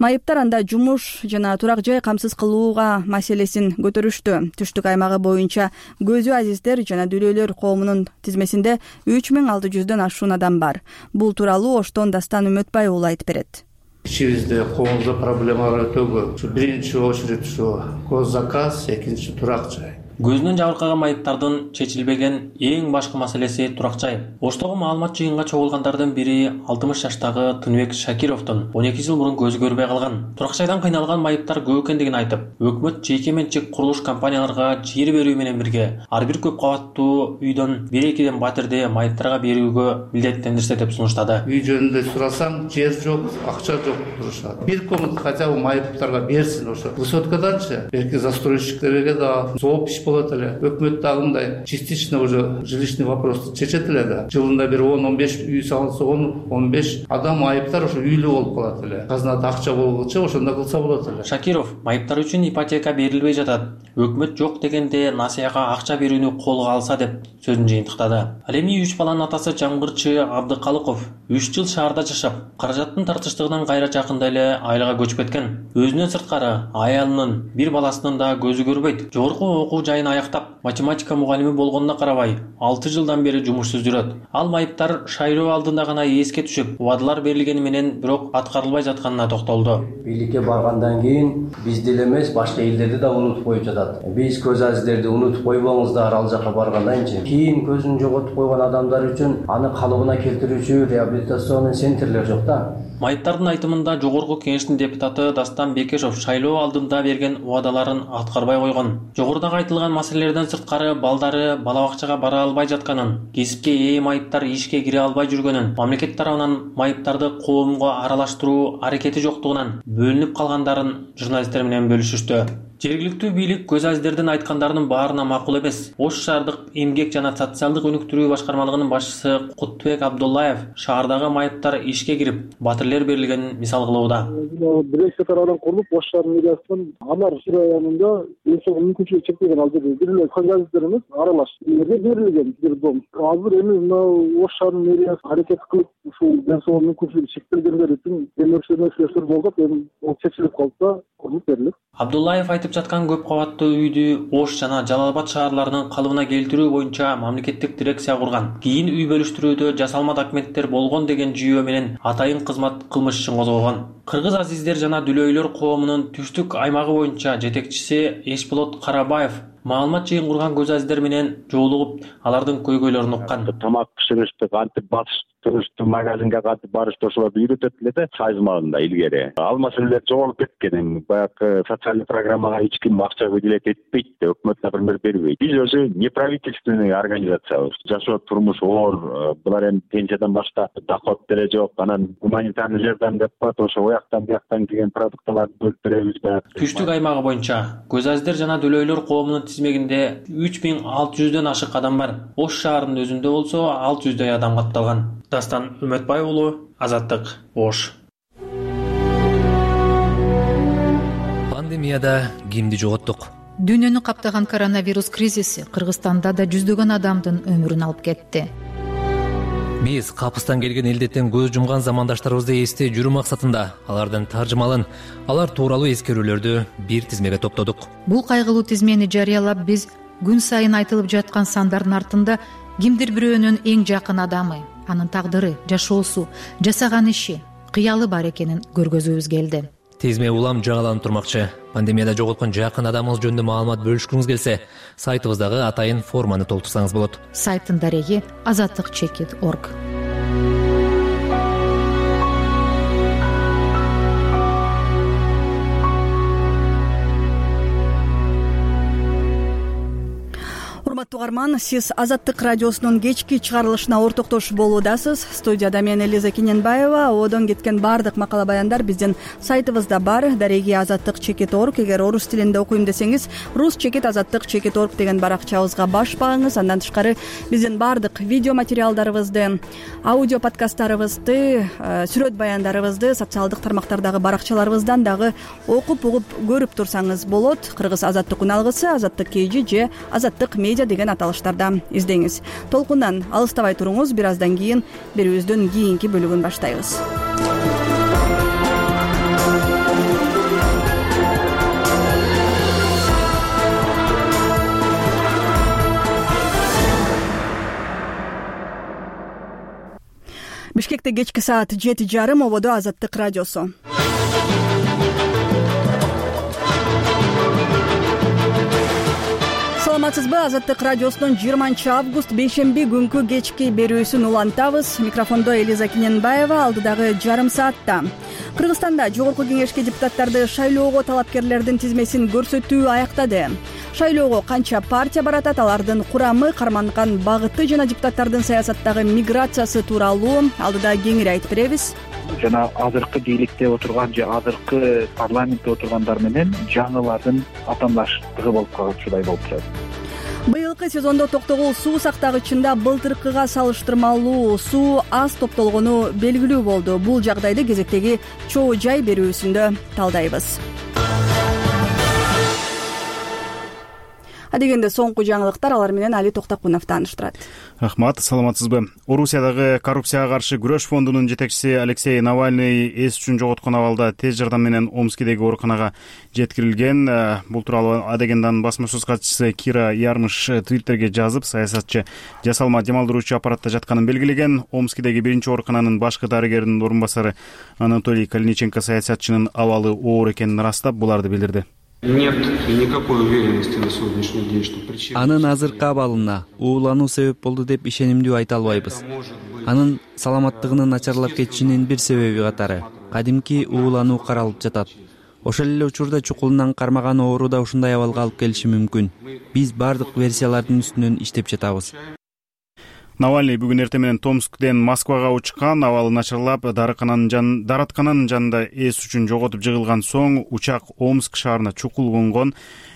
Майыптар анда жумуш жана турак жай камсыз кылууга маселесин көтөрүштү. Түштүк аймагы боюнча көзү азиздер жана дүлөйлөр коомунун тизмесинде үч миң алты жүздөн ашуун адам бар. Бул тууралуу Оштон Дастан Үмөтбай уулу айтып берет. Ичибизде коомдо проблемалар өтө көп. Ушу биринчи очередь ушу гос заказ, экинчи турак жай. Көзүнөн жабыркаган майыптардын чечилбеген эң башкы маселеси турак жай. Оштогу маалымат жыйынга чогулгандардын бири алтымыш жаштагы Тынбек Шакировдун он эки жыл мурун көзү көрбөй калган. Турак жайдан кыйналган майыптар көп экендигин айтып, өкмөт жеке менчик курулуш компанияларга жер берүү менен бирге ар бир көп кабаттуу үйдөн бир экиден батирди майыптарга берүүгө милдеттендирсе деп сунуштады. Үй жөнүндө сурасаң, жер жок, акча жок турушат. Бир комнат хотя бы майыптарга берсин ошо. Высоткаданчы, белки застройщиктерге да зооп болот эле. Өкмөт дагындай частично уже жилищный вопрос чечет эле да. Жылында бир он он беш үй салынса, он он беш адам айыптар ошо үйлүү болуп калат эле. Казнада акча болгучу ошондо кылса болот эле. Шакиров майыптар үчүн ипотека берилбей жатат. Өкмөт жок дегенде насыяга акча берүүнү колго алса деп сөзүн жыйынтыктады. Ал эми үч баланын атасы Жамгырчы Абдыкалыков үч жыл шаарда жашап, каражаттын тартыштыгынан кайра жакында эле айылга көчүп кеткен. Өзүнөн сырткары аялынын, бир баласынын да көзү көрбөйт. Жогорку окуу жайын аяктап, математика мугалими болгонуна карабай, алты жылдан бери жумушсуз жүрөт. Ал майыптар шайлоо алдында гана эске түшүп, убадалар берилгени менен бирок аткарылбай жатканына токтолду. Бийликке баргандан кийин бизди эле эмес, башка элдерди да унутуп коюп жатат. Биз көз азиздерди унутуп койбоңуздар, ал жака баргандайынчы. Кийин көзүн жоготуп койгон адамдар үчүн аны калыбына келтирүүчү реабилитационный центрлер жок да. Майыптардын айтымында жогорку кеңештин депутаты Дастан Бекешов шайлоо алдында берген убадаларын аткарбай койгон. Жогорудагы айтылган маселелерден сырткары балдары бала бакчага бара албай жатканын, кесипке ээ майыптар ишке кире албай жүргөнүн, мамлекет тарабынан майыптарды коомго аралаштыруу аракети жоктугунан бөлүнүп калгандарын журналисттер менен бөлүшүштү. Жергиликтүү бийлик көз азиздердин айткандарынын баарына макул эмес. Ош шаардык эмгек жана социалдык өнүктүрүү башкармалыгынын башчысы Куттубек Абдуллаев шаардагы майыптар ишке кирип, батирлер берилгенин мисал кылууда. Бирлекче тарабынан курулуп, Ош шаарынын мэриясынан Амар районунда өсөгөн мүмкүнчүлүгү чектелген ал жерде бир эле көз азиздер эмес, аралаш эле берилген бир дом. Азыр эми мына Ош шаарынын мэриясы аракет кылып, ушул ден соолук мүмкүнчүлүгү чектелгендер үчүн демөөрчүлөр болуп, эми ол чечилип калса, курулуп берилет. Абдуллаев айтып жаткан көп кабаттуу үйдү Ош жана Жалал Абад шаарларынын калыбына келтирүү боюнча мамлекеттик дирекция курган. Кийин үй бөлүштүрүүдө жасалма документтер болгон деген жүйөө менен атайын кызмат кылмыш ишин козгогон. Кыргыз азиздер жана дүлөйлөр коомунун түштүк аймагы боюнча жетекчиси Эшболот Карабаев маалымат жыйын курган көз азиздер менен жолугуп, алардын көйгөйлөрүн уккан. Тамак пиширишти, кантип батыш турушту, магазинге кантип барышты ошолорду үйрөтөт эле да сайзмалында илгери. Ал маселелер жоголуп кеткен. Баягы социалдык программага эч ким акча выделять этпейт, өкмөт, например, бербейт. Биз өзү неправительственный организациябыз. Жашоо турмуш оор, булар эми пенсиядан башка доход деле жок. Анан гуманитарный жардам деп коет, ошо ояктан бияктан келген продукталарды бөлүп беребиз да. Түштүк аймагы боюнча көз азиздер жана дүлөйлөр коомунун тизмегинде үч миң алты жүздөн ашык адам бар. Ош шаарынын өзүндө болсо алты жүздөй адам катталган. Дастан Үмөтбай уулу, Азаттык, Ош. Пандемияда кимди жоготтук? Дүйнөнү каптаган коронавирус кризиси Кыргызстанда да жүздөгөн адамдын өмүрүн алып кетти. Биз капыстан келген элдеттен көз жумган замандаштарыбызды эстей жүрүү максатында алардын таржымалын, алар тууралуу эскерүүлөрдү бир тизмеге топтодук. Бул кайгылуу тизмени жарыялап, биз күн сайын айтылып жаткан сандардын артында кимдир бирөөнүн эң жакын адамы, анын тагдыры, жашоосу, жасаган иши, кыялы бар экенин көргөзүүбүз келди. Тизме улам жагаланып турмакчы. Пандемияда жоготкон жакын адамыңыз жөнүндө маалымат бөлүшкүңүз келсе, сайтыбыздагы атайын форманы толтурсаңыз болот. Сайттын дареги азаттык чекит точка орг. урматтуу угарман, сиз Азаттык радиосунун кечки чыгарылышына ортоктош болуудасыз. Студияда мен Элиза Кененбаева. Одон кеткен баардык макала баяндар биздин сайтыбызда бар. Дареги азаттык чекит орг. Эгер орус тилинде окуйм десеңиз, рус чекит азаттык чекит орг деген баракчабызга баш багыңыз. Андан тышкары биздин баардык видео материалдарыбызды, аудио подкасттарыбызды, сүрөт баяндарыбызды социалдык тармактардагы баракчаларыбыздан дагы окуп угуп көрүп турсаңыз болот. Кыргыз азаттык үналгысы, азаттык kg же азаттык медиа деген аталыштарда издеңиз. Толкундан алыстабай туруңуз. Бир аздан кийин берүүбүздүн кийинки бөлүгүн баштайбыз. Бишкекте кечки саат жети жарым, ободо Азаттык радиосу. Саламатсызбы? Азаттык радиосунун жыйырманчы август бейшемби күнкү кечки берүүсүн улантабыз. Микрофондо Элиза Кененбаева. Алдыдагы жарым саатта Кыргызстанда жогорку кеңешке депутаттарды шайлоого талапкерлердин тизмесин көрсөтүү аяктады. Шайлоого канча партия баратат, алардын курамы, карманган багыты жана депутаттардын саясаттагы миграциясы тууралуу алдыда кеңири айтып беребиз. Жана азыркы бийликте отурган же азыркы парламентте отургандар менен жаңылардын атаандаштыгы болуп калгычудай болуп турат. Быйылкы сезондо токтогул суу сактагычында былтыркыга салыштырмалуу суу аз топтолгону белгилүү болду. Бул жагдайды кезектеги чоо жай берүүсүндө талдайбыз. Адегенде соңку жаңылыктар, алар менен Али Токтокунов тааныштырат. Рахмат, саламатсызбы? Орусиядагы коррупцияга каршы күрөш фондунун жетекчиси Алексей Навальный эс үчүн жоготкон абалда тез жардам менен Омскидеги ооруканага жеткирилген. Бул тууралуу Адегенданын басма сөз катчысы Кира Ярмыш Твиттерге жазып, саясатчы жасалма демалдыруучу аппаратта жатканын белгилеген. Омскидеги биринчи оорукананын башкы дарыгеринин орун басары Анатолий Калиниченко саясатчынын абалы оор экенин ырастап, буларды билдирди. Нет никакой уверенности на сегодняшний день, что причина... Анын азыркы абалына уулануу себеп болду деп ишенимдүү айта албайбыз. Анын саламаттыгынын начарлап кетишинин бир себеби катары кадимки уулануу каралып жатат. Ошол эле учурда чукулунан кармаган оору да ушундай абалга алып келиши мүмкүн. Биз бардык версиялардын үстүнөн иштеп жатабыз. Навальный бүгүн эртең менен Томсктен Москвага учкан. Абалы начарлап, дараткананын жанында эс үчүн жоготуп жыгылган соң учак Омск шаарына чукул конгон.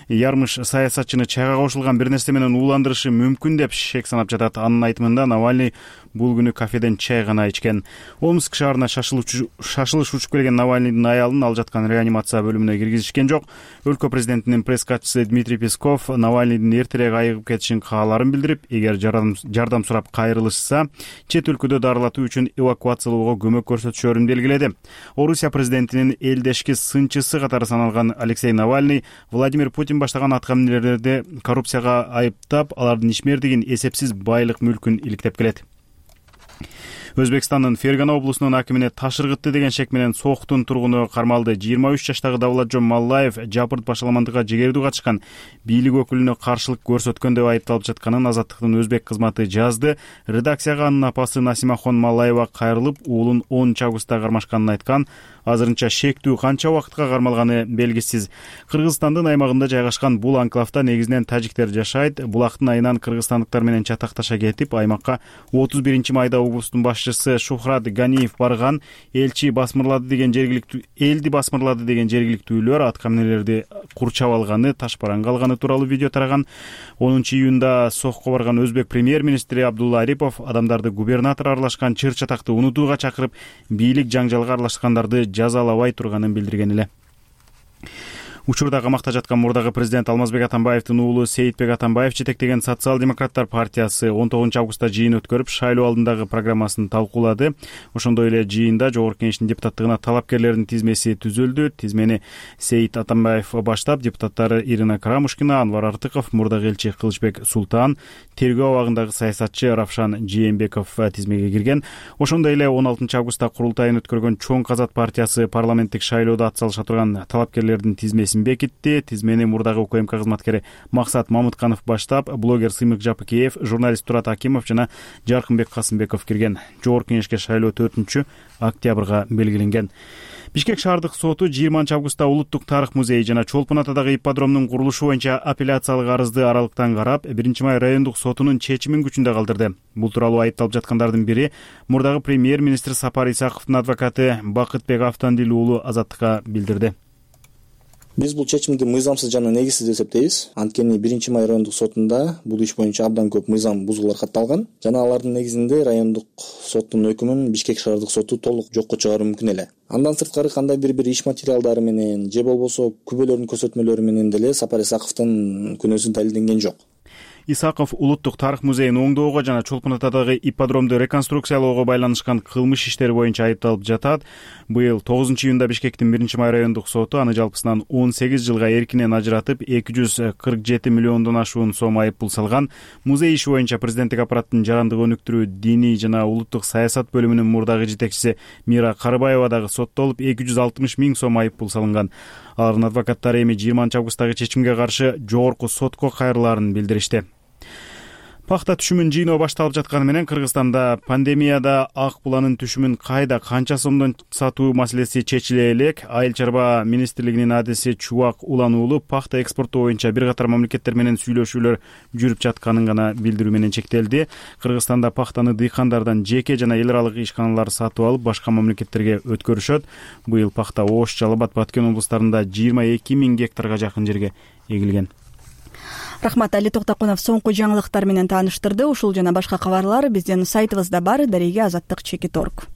Ярмыш саясатчыны чайга кошулган бир нерсе менен ууландырышы мүмкүн деп шек санап жатат. Анын айтымында Навальный бул күнү кафеден чай гана ичкен. Омск шаарына шашылыш учуп келген Навальныйдын аялын ал жаткан реанимация бөлүмүнө киргизишкен жок. Өлкө президентинин пресс катчысы Дмитрий Песков Навальныйдын эртерээк айыгып кетишин каалаарын билдирип, эгер жардам сурап кайрылышса, чет өлкөдө дарылатуу үчүн эвакуациялоого көмөк көрсөтүшөрүн белгиледи. Орусия президентинин элдешки сынчысы катары саналган Алексей Навальный Владимир Путин баштаган атка минерлерди коррупцияга айыптап, алардын ишмердигин, эсепсиз байлык мүлкүн иликтеп келет. Өзбекстандын Фергана облусунун акимине таш ыргытты деген шек менен Сооктун тургуну кармалды. жыйырма үч жаштагы Давлатжон Маллаев жапырт башаламандыкка жегердүү катышкан бийлик өкүлүнө каршылык көрсөткөн деп айыпталып жатканын Азаттыктын өзбек кызматы жазды. Редакцияга анын апасы Насимахон Маллаева кайрылып, уулун онунчу августта кармашканын айткан. Азырынча шектүү канча убакытка кармалганы белгисиз. Кыргызстандын аймагында жайгашкан бул анклавда негизинен тажиктер жашайт. Булактын айынан кыргызстандыктар менен чатакташа кетип, аймакка отуз биринчи майда облустун башчысы Шухрат Ганиев барган. Элчи басмырлады деген жергиликтүү элди басмырлады деген жергиликтүүлөр атка минерлерди курчап алганы, таш бараңга алганы тууралуу видео тараган. онунчу июнда Сохко барган өзбек премьер-министри Абдулла Арипов адамдарды губернатор аралашкан чыр чатакты унутууга чакырып, бийлик жаңжалга аралашкандарды жазалабай турганын билдирген эле. Учурда камакта жаткан мурдагы президент Алмазбек Атамбаевдин уулу Сейитбек Атамбаев жетектеген социал-демократтар партиясы он тогузунчу августта жыйын өткөрүп, шайлоо алдындагы программасын талкуулады. Ошондой эле жыйында жогорку кеңештин депутаттыгына талапкерлердин тизмеси түзүлдү. Тизмени Сейит Атамбаев баштап, депутаттары Ирина Карамушкина, Анвар Артыков, мурдагы элчи Кылычбек Султан, тергөө абагындагы саясатчы Равшан Жээнбеков тизмеге кирген. Ошондой эле он алтынчы августта курултайын өткөргөн Чоң Казат партиясы парламенттик шайлоодо атсалыша турган талапкерлердин тизмеси бекитти. Тизмени мурдагы УКМК кызматкери Максат Мамытканов баштап, блогер Сыймык Жапыкеев, журналист Турат Акимов жана Жаркынбек Касымбеков кирген. Жогорку кеңешке шайлоо төртүнчү октябрга белгиленген. Бишкек шаардык соту жыйырманчы августта Улуттук тарых музейи жана Чолпон атадагы ипподромдун курулушу боюнча апелляциялык арызды аралыктан карап, биринчи май райондук сотунун чечимин күчүндө калтырды. Бул тууралуу айыпталып жаткандардын бири мурдагы премьер-министр Сапар Исаковдун адвокаты Бакытбек Автандил уулу Азаттыкка билдирди. Биз бул чечимди мыйзамсыз жана негизсиз деп эсептейбиз. Анткени биринчи май райондук сотунда бул иш боюнча абдан көп мыйзам бузуулар катталган жана алардын негизинде райондук соттун өкүмүн Бишкек шаардык соту толук жокко чыгаруу мүмкүн эле. Андан сырткары кандайдыр бир иш материалдары менен же болбосо күбөлөрдүн көрсөтмөлөрү менен деле Сапар Исаковдун күнөөсү далилденген жок. Исаков Улуттук тарых музейин оңдоого жана Чолпон атадагы ипподромду реконструкциялоого байланышкан кылмыш иштери боюнча айыпталып жатат. Быйыл тогузунчу июнда Бишкектин биринчи май райондук соту аны жалпысынан он сегиз жылга эркинен ажыратып, эки жүз кырк жети миллиондон ашуун сом айыппул салган. Музей иши боюнча президенттик аппараттын жарандык өнүктүрүү, диний жана улуттук саясат бөлүмүнүн мурдагы жетекчиси Мира Карыбаева дагы соттолуп, эки жүз алтымыш миң сом айыппул салынган. Алардын адвокаттары эми жыйырманчы августтагы чечимге каршы жогорку сотко кайрылаарын билдиришти. Пахта түшүмүн жыйноо башталып жатканы менен Кыргызстанда пандемияда ак буланын түшүмүн кайда, канча сомдон сатуу маселеси чечиле элек. Айыл чарба министрлигинин адиси Чубак Улан уулу пахта экспорту боюнча бир катар мамлекеттер менен сүйлөшүүлөр жүрүп жатканын гана билдирүү менен чектелди. Кыргызстанда пахтаны дыйкандардан жеке жана эл аралык ишканалар сатып алып, башка мамлекеттерге өткөрүшөт. Быйыл пахта Ош, Жалал Абад, Баткен облустарында жыйырма эки миң гектарга жакын жерге эгилген. Рахмат, Али Токтокунов соңку жаңылыктар менен тааныштырды. Ушул жана башка кабарлар биздин сайтыбызда бар. Дареге азаттык чекит орг.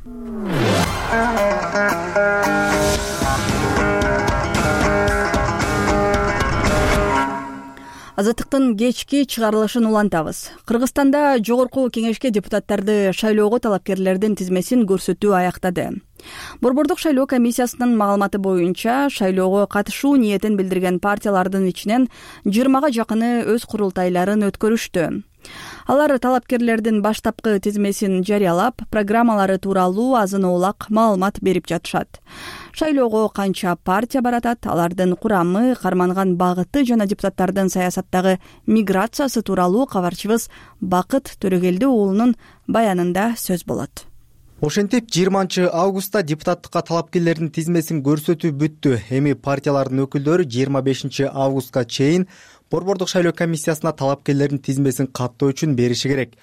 Азаттыктын кечки чыгарылышын улантабыз. Кыргызстанда жогорку кеңешке депутаттарды шайлоого талапкерлердин тизмесин көрсөтүү аяктады. Борбордук шайлоо комиссиясынын маалыматы боюнча, шайлоого катышуу ниетин билдирген партиялардын ичинен жыйырмага жакыны өз курултайларын өткөрүштү. Алар талапкерлердин баштапкы тизмесин жарыялап, программалары тууралуу азын-оолак маалымат берип жатышат. Шайлоого канча партия баратат, алардын курамы, карманган багыты жана депутаттардын саясаттагы миграциясы тууралуу кабарчыбыз Бакыт Төрөгелди уулунун баянында сөз болот. Ошентип жыйырманчы августта депутаттыкка талапкерлердин тизмесин көрсөтүү бүттү. Эми партиялардын өкүлдөрү жыйырма бешинчи августка чейин Борбордук шайлоо комиссиясына талапкерлердин тизмесин каттоо үчүн бериши керек.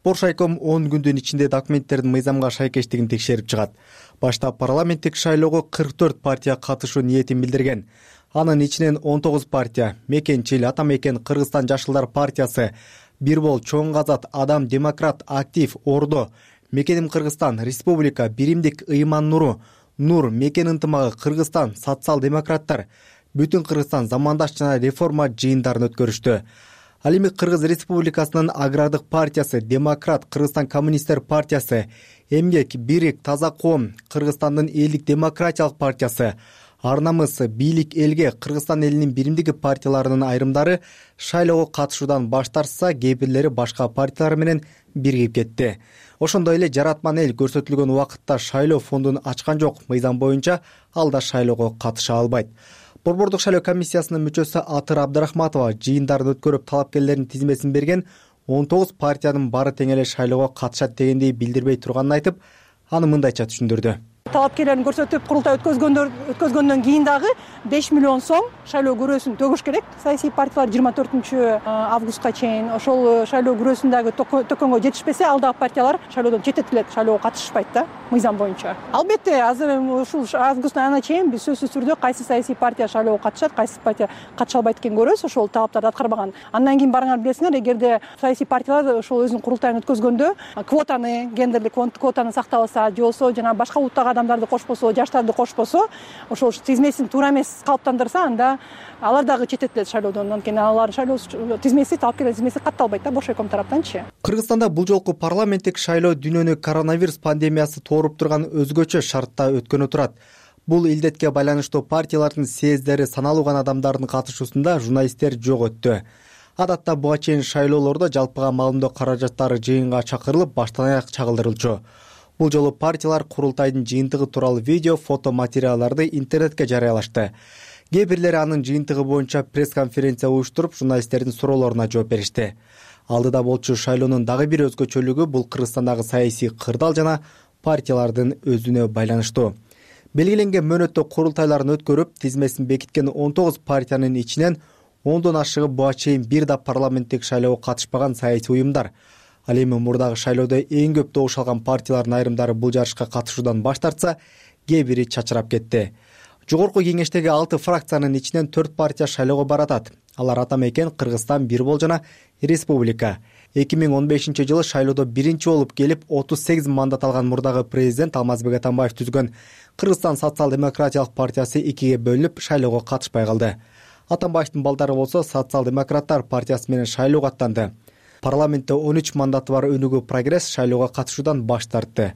Боршайком он күндүн ичинде документтердин мыйзамга шайкештигин текшерип чыгат. Башта парламенттик шайлоого кырк төрт партия катышуу ниетин билдирген. Анын ичинен он тогуз партия — Мекенчил, Ата Мекен, Кыргызстан жашылдар партиясы, Бир бол, Чоң Казат, Адам, Демократ, Актив, Ордо, Мекеним Кыргызстан, Республика, Биримдик, Ыйман Нуру, Нур, Мекен ынтымагы, Кыргызстан, социал-демократтар, Бүтүн Кыргызстан замандаш жана реформа жыйындарын өткөрүштү. Ал эми Кыргыз Республикасынын Агрардык партиясы, Демократ, Кыргызстан коммунисттер партиясы, Эмгек, Бирик, Таза коом, Кыргызстандын элдик демократиялык партиясы, Ар намыс, Бийлик элге, Кыргызстан элинин биримдиги партияларынын айрымдары шайлоого катышуудан баш тартса, кээ бирлери башка партиялар менен биригип кетти. Ошондой эле Жаратман эл көрсөтүлгөн убакытта шайлоо фондун ачкан жок. Мыйзам боюнча ал да шайлоого катыша албайт. Борбордук шайлоо комиссиясынын мүчөсү Атыр Абдрахматова жыйындарды өткөрүп талапкерлердин тизмесин берген он тогуз партиянын баары тең эле шайлоого катышат дегенди билдирбей турганын айтып, аны мындайча түшүндүрдү. Талапкерлерин көрсөтүп курултай өткөзгөндөр өткөзгөндөн кийин дагы беш миллион сом шайлоо күрөөсүн төгүш керек. Саясий партиялар жыйырма төртүнчү августка чейин ошол шайлоо күрөөсүндөгү төкөнгө жетишпесе, ал дагы партиялар шайлоодон четтетилет, шайлоого катышышпайт да мыйзам боюнча. Албетте, азыр ушул августтун айына чейин биз сөзсүз түрдө кайсы саясий партия шайлоого катышат, кайсы партия катыша албайт экенин көрөбүз, ошол талаптарды аткарбаган. Андан кийин барыңар билесиңер, эгерде саясий партиялар ошол өзүнүн курултайын өткөзгөндө квотаны, гендерлик квотаны сактабаса, же болбосо жана башка улуттагы адамдарды кошпосо, жаштарды кошпосо, ошол тизмесин туура эмес калыптандырса, анда алар дагы четтетилет шайлоодон. Анткени алар шайлоо тизмеси, талапкерлер тизмеси катталбайт да Боршайком тараптанчы. Кыргызстанда бул жолку парламенттик шайлоо дүйнөнү коронавирус пандемиясы тооруп турган өзгөчө шартта өткөнү турат. Бул илдетке байланыштуу партиялардын съездери саналуу гана адамдардын катышуусунда журналисттер жок өттү. Адатта буга чейин шайлоолордо жалпыга маалымдоо каражаттары жыйынга чакырылып, баштан аяк чагылдырылчу. Бул жолу партиялар курултайдын жыйынтыгы тууралуу видео, фото материалдарды интернетке жарыялашты. Кээ бирлери анын жыйынтыгы боюнча пресс-конференция уюштуруп, журналисттердин суроолоруна жооп беришти. Алдыда болчу шайлоонун дагы бир өзгөчөлүгү — бул Кыргызстандагы саясий кырдаал жана партиялардын өзүнө байланыштуу. белгиленген мөөнөттө курултайларын өткөрүп тизмесин бекиткен он тогуз партиянын ичинен ондон ашыгы буга чейин бир да парламенттик шайлоого катышпаган саясий уюмдар. Ал эми мурдагы шайлоодо эң көп добуш алган партиялардын айрымдары бул жарышка катышуудан баш тартса, кээ бири чачырап кетти. Жогорку кеңештеги алты фракциянын ичинен төрт партия шайлоого баратат. Алар Ата Мекен, Кыргызстан, Бир Бол жана Республика. эки миң он бешинчи жылы шайлоодо биринчи болуп келип отуз сегиз мандат алган мурдагы президент Алмазбек Атамбаев түзгөн Кыргызстан социал-демократиялык партиясы экиге бөлүнүп шайлоого катышпай калды. Атамбаевдин балдары болсо социал-демократтар партиясы менен шайлоого аттанды. Парламентте он үч мандаты бар Өнүгүү Прогресс шайлоого катышуудан баш тартты.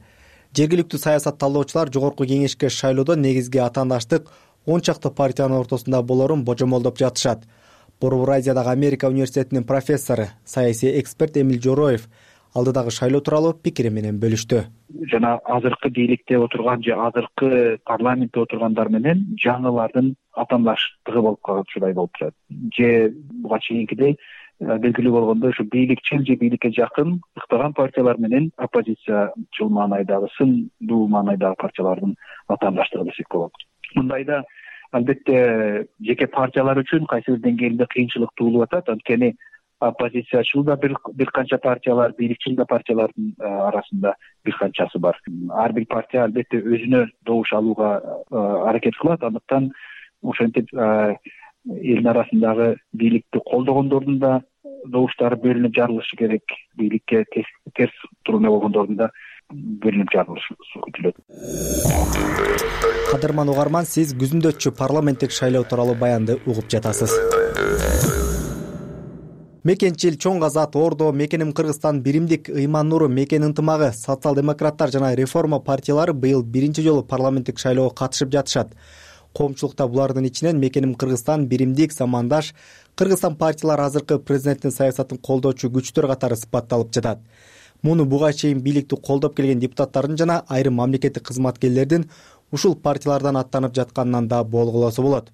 Жергиликтүү саясат талдоочулар жогорку кеңешке шайлоодо негизги атаандаштык он чакты партиянын ортосунда болорун божомолдоп жатышат. Борбор Азиядагы Америка университетинин профессору, саясий эксперт Эмил Жороев алдыдагы шайлоо тууралуу пикири менен бөлүштү. Жана азыркы бийликте отурган же азыркы парламентте отургандар менен жаңылардын атаандаштыгы болуп калгычудай болуп турат. Же буга чейинкидей белгилүү болгондой ушу бийликчил же бийликке жакын ыктаган партиялар менен оппозициячыл маанайдагы, сындуу маанайдагы партиялардын атаандаштыгы десек болот. Мындайда албетте жеке партиялар үчүн кайсы бир деңгээлде кыйынчылык туулуп атат. Анткени оппозициячыл да бир бир канча партиялар, бийликчил да партиялардын арасында бир канчасы бар. Ар бир партия албетте өзүнө добуш алууга аракет кылат. Андыктан ошентип элдин арасындагы бийликти колдогондордун да добуштары бөлүнүп жарылышы керек. Бийликке терс турумда болгондордун да бөлүнүп жарылышы күтүлөт. Кадырман угарман, сиз күзүндөчү парламенттик шайлоо тууралуу баянды угуп жатасыз. Мекенчил, Чоң Азат, Ордо, Мекеним Кыргызстан, Биримдик, Ыйман Нуру, Мекен ынтымагы, социал-демократтар жана реформа партиялары быйыл биринчи жолу парламенттик шайлоого катышып жатышат. Коомчулукта булардын ичинен Мекеним Кыргызстан, Биримдик, Замандаш, Кыргызстан партиялары азыркы президенттин саясатын колдоочу күчтөр катары сыпатталып жатат. Муну буга чейин бийликти колдоп келген депутаттардын жана айрым мамлекеттик кызматкерлердин ушул партиялардан аттанып жатканынан да болгулосо болот.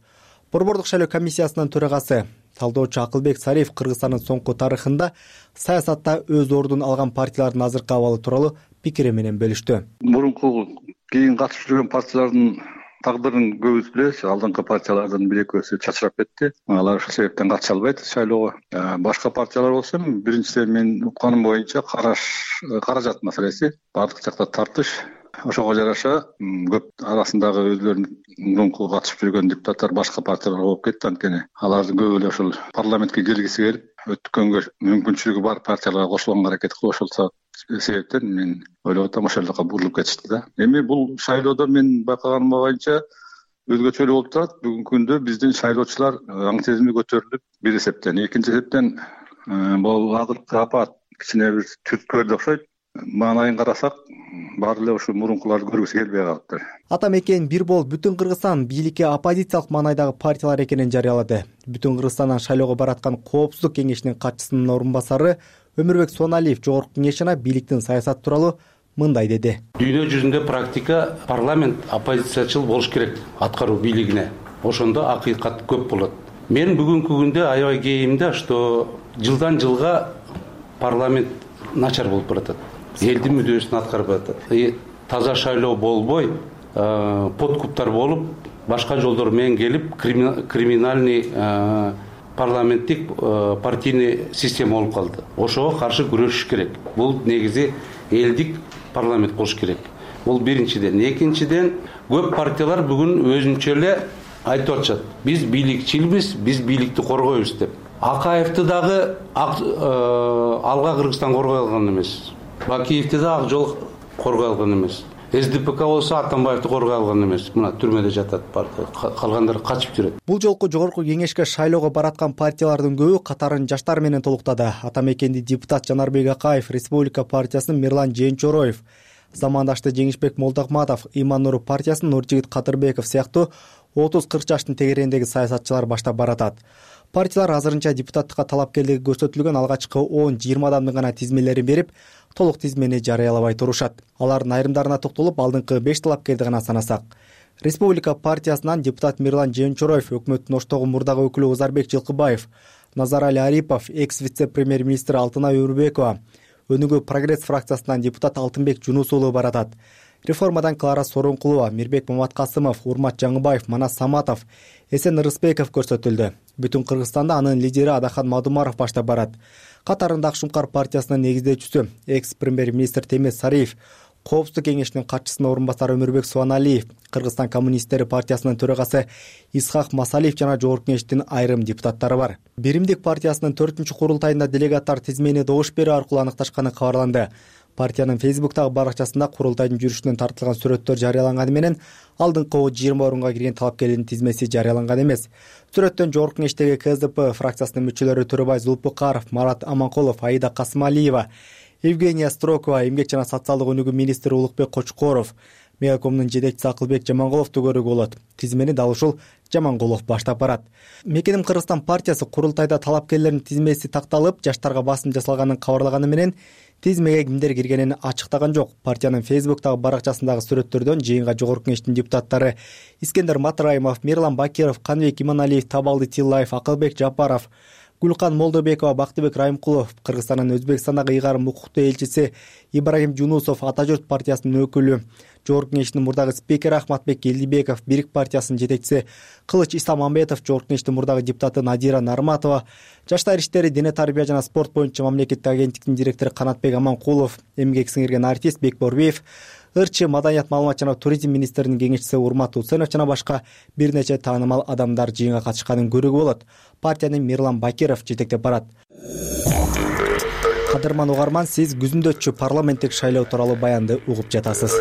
Борбордук шайлоо комиссиясынын төрагасы, талдоочу Акылбек Сариев Кыргызстандын соңку тарыхында саясатта өз ордун алган партиялардын азыркы абалы тууралуу пикири менен бөлүштү. Мурунку кийин катышып жүргөн партиялардын тагдырын көбүбүз билебиз. Алдыңкы партиялардын бир экөөсү чачырап кетти. Алар ошол себептен катыша албайт шайлоого. Башка партиялар болсо, биринчиден мен укканым боюнча караш каражат маселеси, бардык жакта тартыш. Ошого жараша көп арасындагы өзлөрүнүн мурунку катышып жүргөн депутаттар башка партияларга болуп кетти. Анткени алардын көбү эле ошол парламентке киргиси келип, өткөнгө мүмкүнчүлүгү бар партияларга кошулганга аракет кылып ошол себептен мен ойлоп атам ошол жака бурулуп кетишти да. Эми бул шайлоодо мен байкаганым боюнча өзгөчөлүү болуп турат. Бүгүнкү күндө биздин шайлоочулар аң сезими көтөрүлүп бир эсептен, экинчи эсептен бул азыркы апат кичине бир түрткөлдү окшойт. Маанайын карасак, баары эле ушул мурункуларды көргүсү келбей калыптыр. Ата Мекен, Бир Бол бүтүн Кыргызстан бийликке оппозициялык маанайдагы партиялар экенин жарыялады. Бүтүн Кыргызстандан шайлоого бараткан Коопсуздук кеңешинин катчысынын орун басары Өмүрбек Соналиев жогорку кеңеш жана бийликтин саясаты тууралуу мындай деди. Дүйнө жүзүндө практика парламент оппозициячыл болуш керек аткаруу бийлигине. Ошондо акыйкат көп болот. Мен бүгүнкү күндө аябай кейимде, что жылдан жылга парламент начар болуп баратат. Элдин мүддөсүн аткарып атат. Таза шайлоо болбой, подкуптар болуп, башка жолдор менен келип, криминальный парламенттик партийный система болуп калды. Ошого каршы күрөшүш керек. Бул негизи элдик парламент болуш керек. Бул биринчиден. Экинчиден, көп партиялар бүгүн өзүнчө эле айтып атышат. Биз бийликчилбиз, биз бийликти коргойбуз деп. Акаевди дагы Алга Кыргызстан коргой алган эмес. Бакиевди да Ак Жол коргой алган эмес. СДПК болсо Атамбаевди коргой алган эмес. Мына түрмөдө жатат партия. Калгандары качып жүрөт. Бул жолку жогорку кеңешке шайлоого бараткан партиялардын көбү катарын жаштар менен толуктады. Ата Мекенди депутат Жанарбек Акаев, Республика партиясынын Мирлан Жээнчороев, Замандашты Жеңишбек Молдокматов, Ыйман Нуру партиясынын Нуржигит Кадырбеков сыяктуу отуз кырк жаштын тегерегиндеги саясатчылар баштап баратат. Партиялар азырынча депутаттыкка талапкерлиги көрсөтүлгөн алгачкы он жыйырма адамдын гана тизмелерин берип, толук тизмени жарыялабай турушат. Алардын айрымдарына токтолуп, алдыңкы беш талапкерди гана санасак. Республика партиясынан депутат Мирлан Жээнчороев, өкмөттүн оштогу мурдагы өкүлү Озарбек Жылкыбаев, Назарали Арипов, экс-вице-премьер-министр Алтынай Өрбекова, Өнүгүү Прогресс фракциясынан депутат Алтынбек Жунус уулу баратат. реформадан Клара Сооронкулова, Мирбек Маматкасымов, Урмат Жаңыбаев, Манас Саматов, Эсен Рыспеков көрсөтүлдү. Бүтүн Кыргызстанда анын лидери Адахан Мадумаров баштап барат. Катарында Ак Шумкар партиясынын негиздөөчүсү, экс-премьер-министр Темес Сариев, Коопсуздук кеңешинин катчысынын орун басары Өмүрбек Субаналиев, Кыргызстан коммунисттери партиясынын төрагасы Исхак Масалиев жана жогорку кеңештин айрым депутаттары бар. Биримдик партиясынын төртүнчү курултайында делегаттар тизмени добуш берүү аркылуу аныкташканы кабарланды. Партиянын Фейсбуктагы баракчасында курултайдын жүрүшүнөн тартылган сүрөттөр жарыяланганы менен алдыңкы жыйырма орунга кирген талапкерлердин тизмеси жарыяланган эмес. Сүрөттөн жогорку кеңештеги КСДП фракциясынын мүчөлөрү Төрөбай Зулпукаров, Марат Аманкулов, Аида Касымалиева, Евгения Строкова, эмгек жана социалдык өнүгүү министри Улукбек Кочкоров, Мегакомдун жетекчиси Акылбек Жамангуловду көрүүгө болот. Тизмени дал ушул Жамангулов баштап барат. Мекеним Кыргызстан партиясы курултайда талапкерлердин тизмеси такталып, жаштарга басым жасалганын кабарлаганы менен тизмеге кимдер киргенин ачыктаган жок. Партиянын Фейсбуктагы баракчасындагы сүрөттөрдөн жыйынга жогорку кеңештин депутаттары Искендер Матраимов, Мирлан Бакиров, Каныбек Иманалиев, Табалды Тиллаев, Акылбек Жапаров, Гүлкан Молдобекова, Бактыбек Райымкулов, Кыргызстандын Өзбекстандагы ыйгарым укуктуу элчиси Ибрагим Жунусов, Ата журт партиясынын өкүлү, жогорку кеңештин мурдагы спикери Ахматбек Элдибеков, Бирик партиясынын жетекчиси Кылыч Исламамбетов, жогорку кеңештин мурдагы депутаты Надира Нарматова, Жаштар иштери, дене тарбия жана спорт боюнча мамлекеттик агенттиктин директору Канатбек Аманкулов, эмгек сиңирген артист Бекборбиев, ырчы маданият, маалымат жана туризм министринин кеңешчиси Урмат Усенов жана башка бир нече таанымал адамдар жыйынга катышканын көрүүгө болот. Партияны Мирлан Бакиров жетектеп барат. Кадырман угарман, сиз күзүндө парламенттик шайлоо тууралуу баянды угуп жатасыз.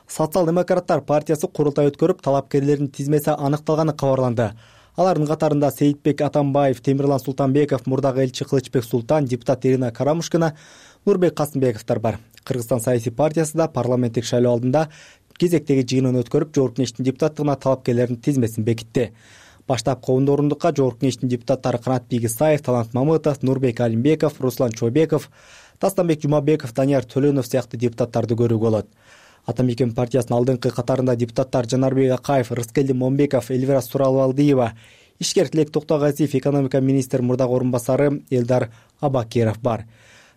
Социал-демократтар партиясы курултай өткөрүп, талапкерлердин тизмеси аныкталганы кабарланды. Алардын катарында Сейитбек Атамбаев, Темирлан Султанбеков, мурдагы элчи Кылычбек Султан, депутат Ирина Карамушкина, Нурбек Касымбековдор бар. Кыргызстан саясий партиясы да парламенттик шайлоо алдында кезектеги жыйынын өткөрүп, жогорку кеңештин депутаттыгына талапкерлердин тизмесин бекитти. Баштапкы он орундукка жогорку кеңештин депутаттары Канатбек Исаев, Талант Мамытов, Нурбек Алимбеков, Руслан Чобеков, Тастанбек Жумабеков, Данияр Төлөнов сыяктуу депутаттарды көрүүгө болот. Атамекен партиясынын алдыңкы катарында депутаттар Жанарбек Акаев, Рыскелди Момбеков, Эльвира Суралбалдиева, ишкер Тилек Токтогазиев, экономика министри мурдагы орун басары Элдар Абакиров бар.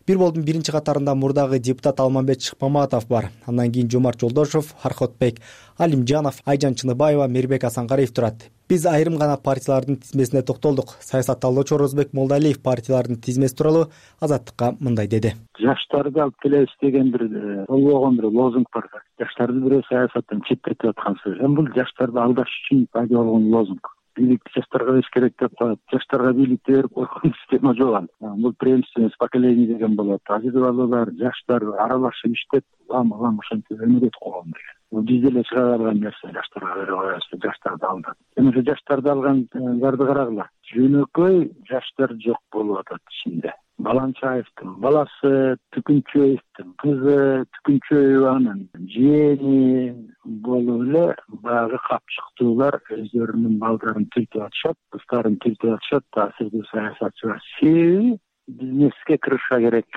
Бир болдун биринчи катарында мурдагы депутат Алмамбет Шыкмаматов бар. Андан кийин Жомарт Жолдошов, Архотбек Алимжанов, Айжан Чыныбаева, Мирбек Асангариев турат. Биз айрым гана партиялардын тизмесине токтолдук. Саясат талдоочу Орозбек Молдалиев партиялардын тизмеси тууралуу Азаттыкка мындай деди. Жаштарды алып келебиз деген бир болбогон бир лозунг бар. Жаштарды бирөө саясаттан четтетип аткан сөз. Эми бул жаштарды алдаш үчүн пайда болгон лозунг. Бийликти жаштарга бериш керек деп коет. Жаштарга бийликти берип койгон система жок. Бул преемственность поколений деген болот. Азыр балалар, жаштар аралашып иштеп, лам-лам ошентип өмүр өтүп койгон деген. Биз деле чыга алган нерсе жаштарга берип коебуз, жаштарды алдап. Эми ошо жаштарды алган зарды карагыла. Жөнөкөй жаштар жок болуп атат ичинде. Баланчаевдин баласы, Түкүнчөевдин кызы, Түкүнчөеванын жээни болуп эле баягы капчыктуулар өздөрүнүн балдарын түртүп атышат, кыздарын түртүп атышат. Таасирдүү саясатчылар себеби бизнеске кырыша керек.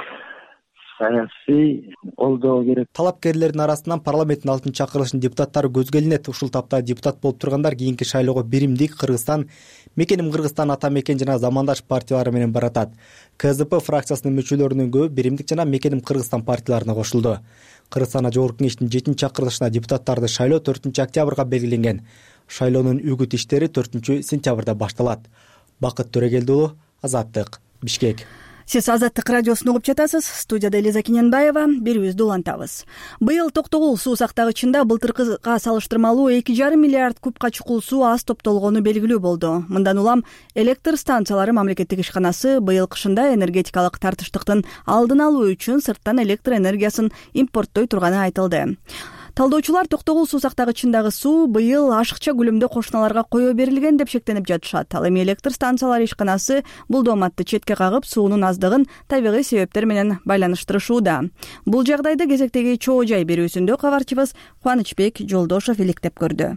Саясий колдоо керек. Талапкерлердин арасынан парламенттин алтынчы чакырылышынын депутаттары көзгө илинет. Ушул тапта депутат болуп тургандар кийинки шайлоого Биримдик Кыргызстан, Мекеним Кыргызстан, Ата Мекен жана Замандаш партиялары менен баратат. КСДП фракциясынын мүчөлөрүнүн көбү Биримдик жана Мекеним Кыргызстан партияларына кошулду. Кыргызстан жогорку кеңештин жетинчи чакырылышына депутаттарды шайлоо төртүнчү октябрга белгиленген. Шайлоонун үгүт иштери төртүнчү сентябрда башталат. Бакыт Төрөгелди уулу, Азаттык, Бишкек. Сиз Азаттык радиосун угуп жатасыз. Студияда Элиза Кененбаева. Берүүбүздү улантабыз. Быйыл Токтогул суу сактагычында былтыркыга салыштырмалуу эки жарым миллиард кубка чукул суу аз топтолгону белгилүү болду. Мындан улам электр станциялары мамлекеттик ишканасы быйыл кышында энергетикалык тартыштыктын алдын алуу үчүн сырттан электр энергиясын импорттой турганы айтылды. Талдоочулар Токтогул суу сактагычындагы суу быйыл ашыкча көлөмдө кошуналарга коё берилген деп шектенип жатышат. Ал эми электр станциялары ишканасы бул дооматты четке кагып, суунун аздыгын табигый себептер менен байланыштырышууда. Бул жагдайды кезектеги чоо жай берүүсүндө кабарчыбыз Кубанычбек Жолдошов иликтеп көрдү.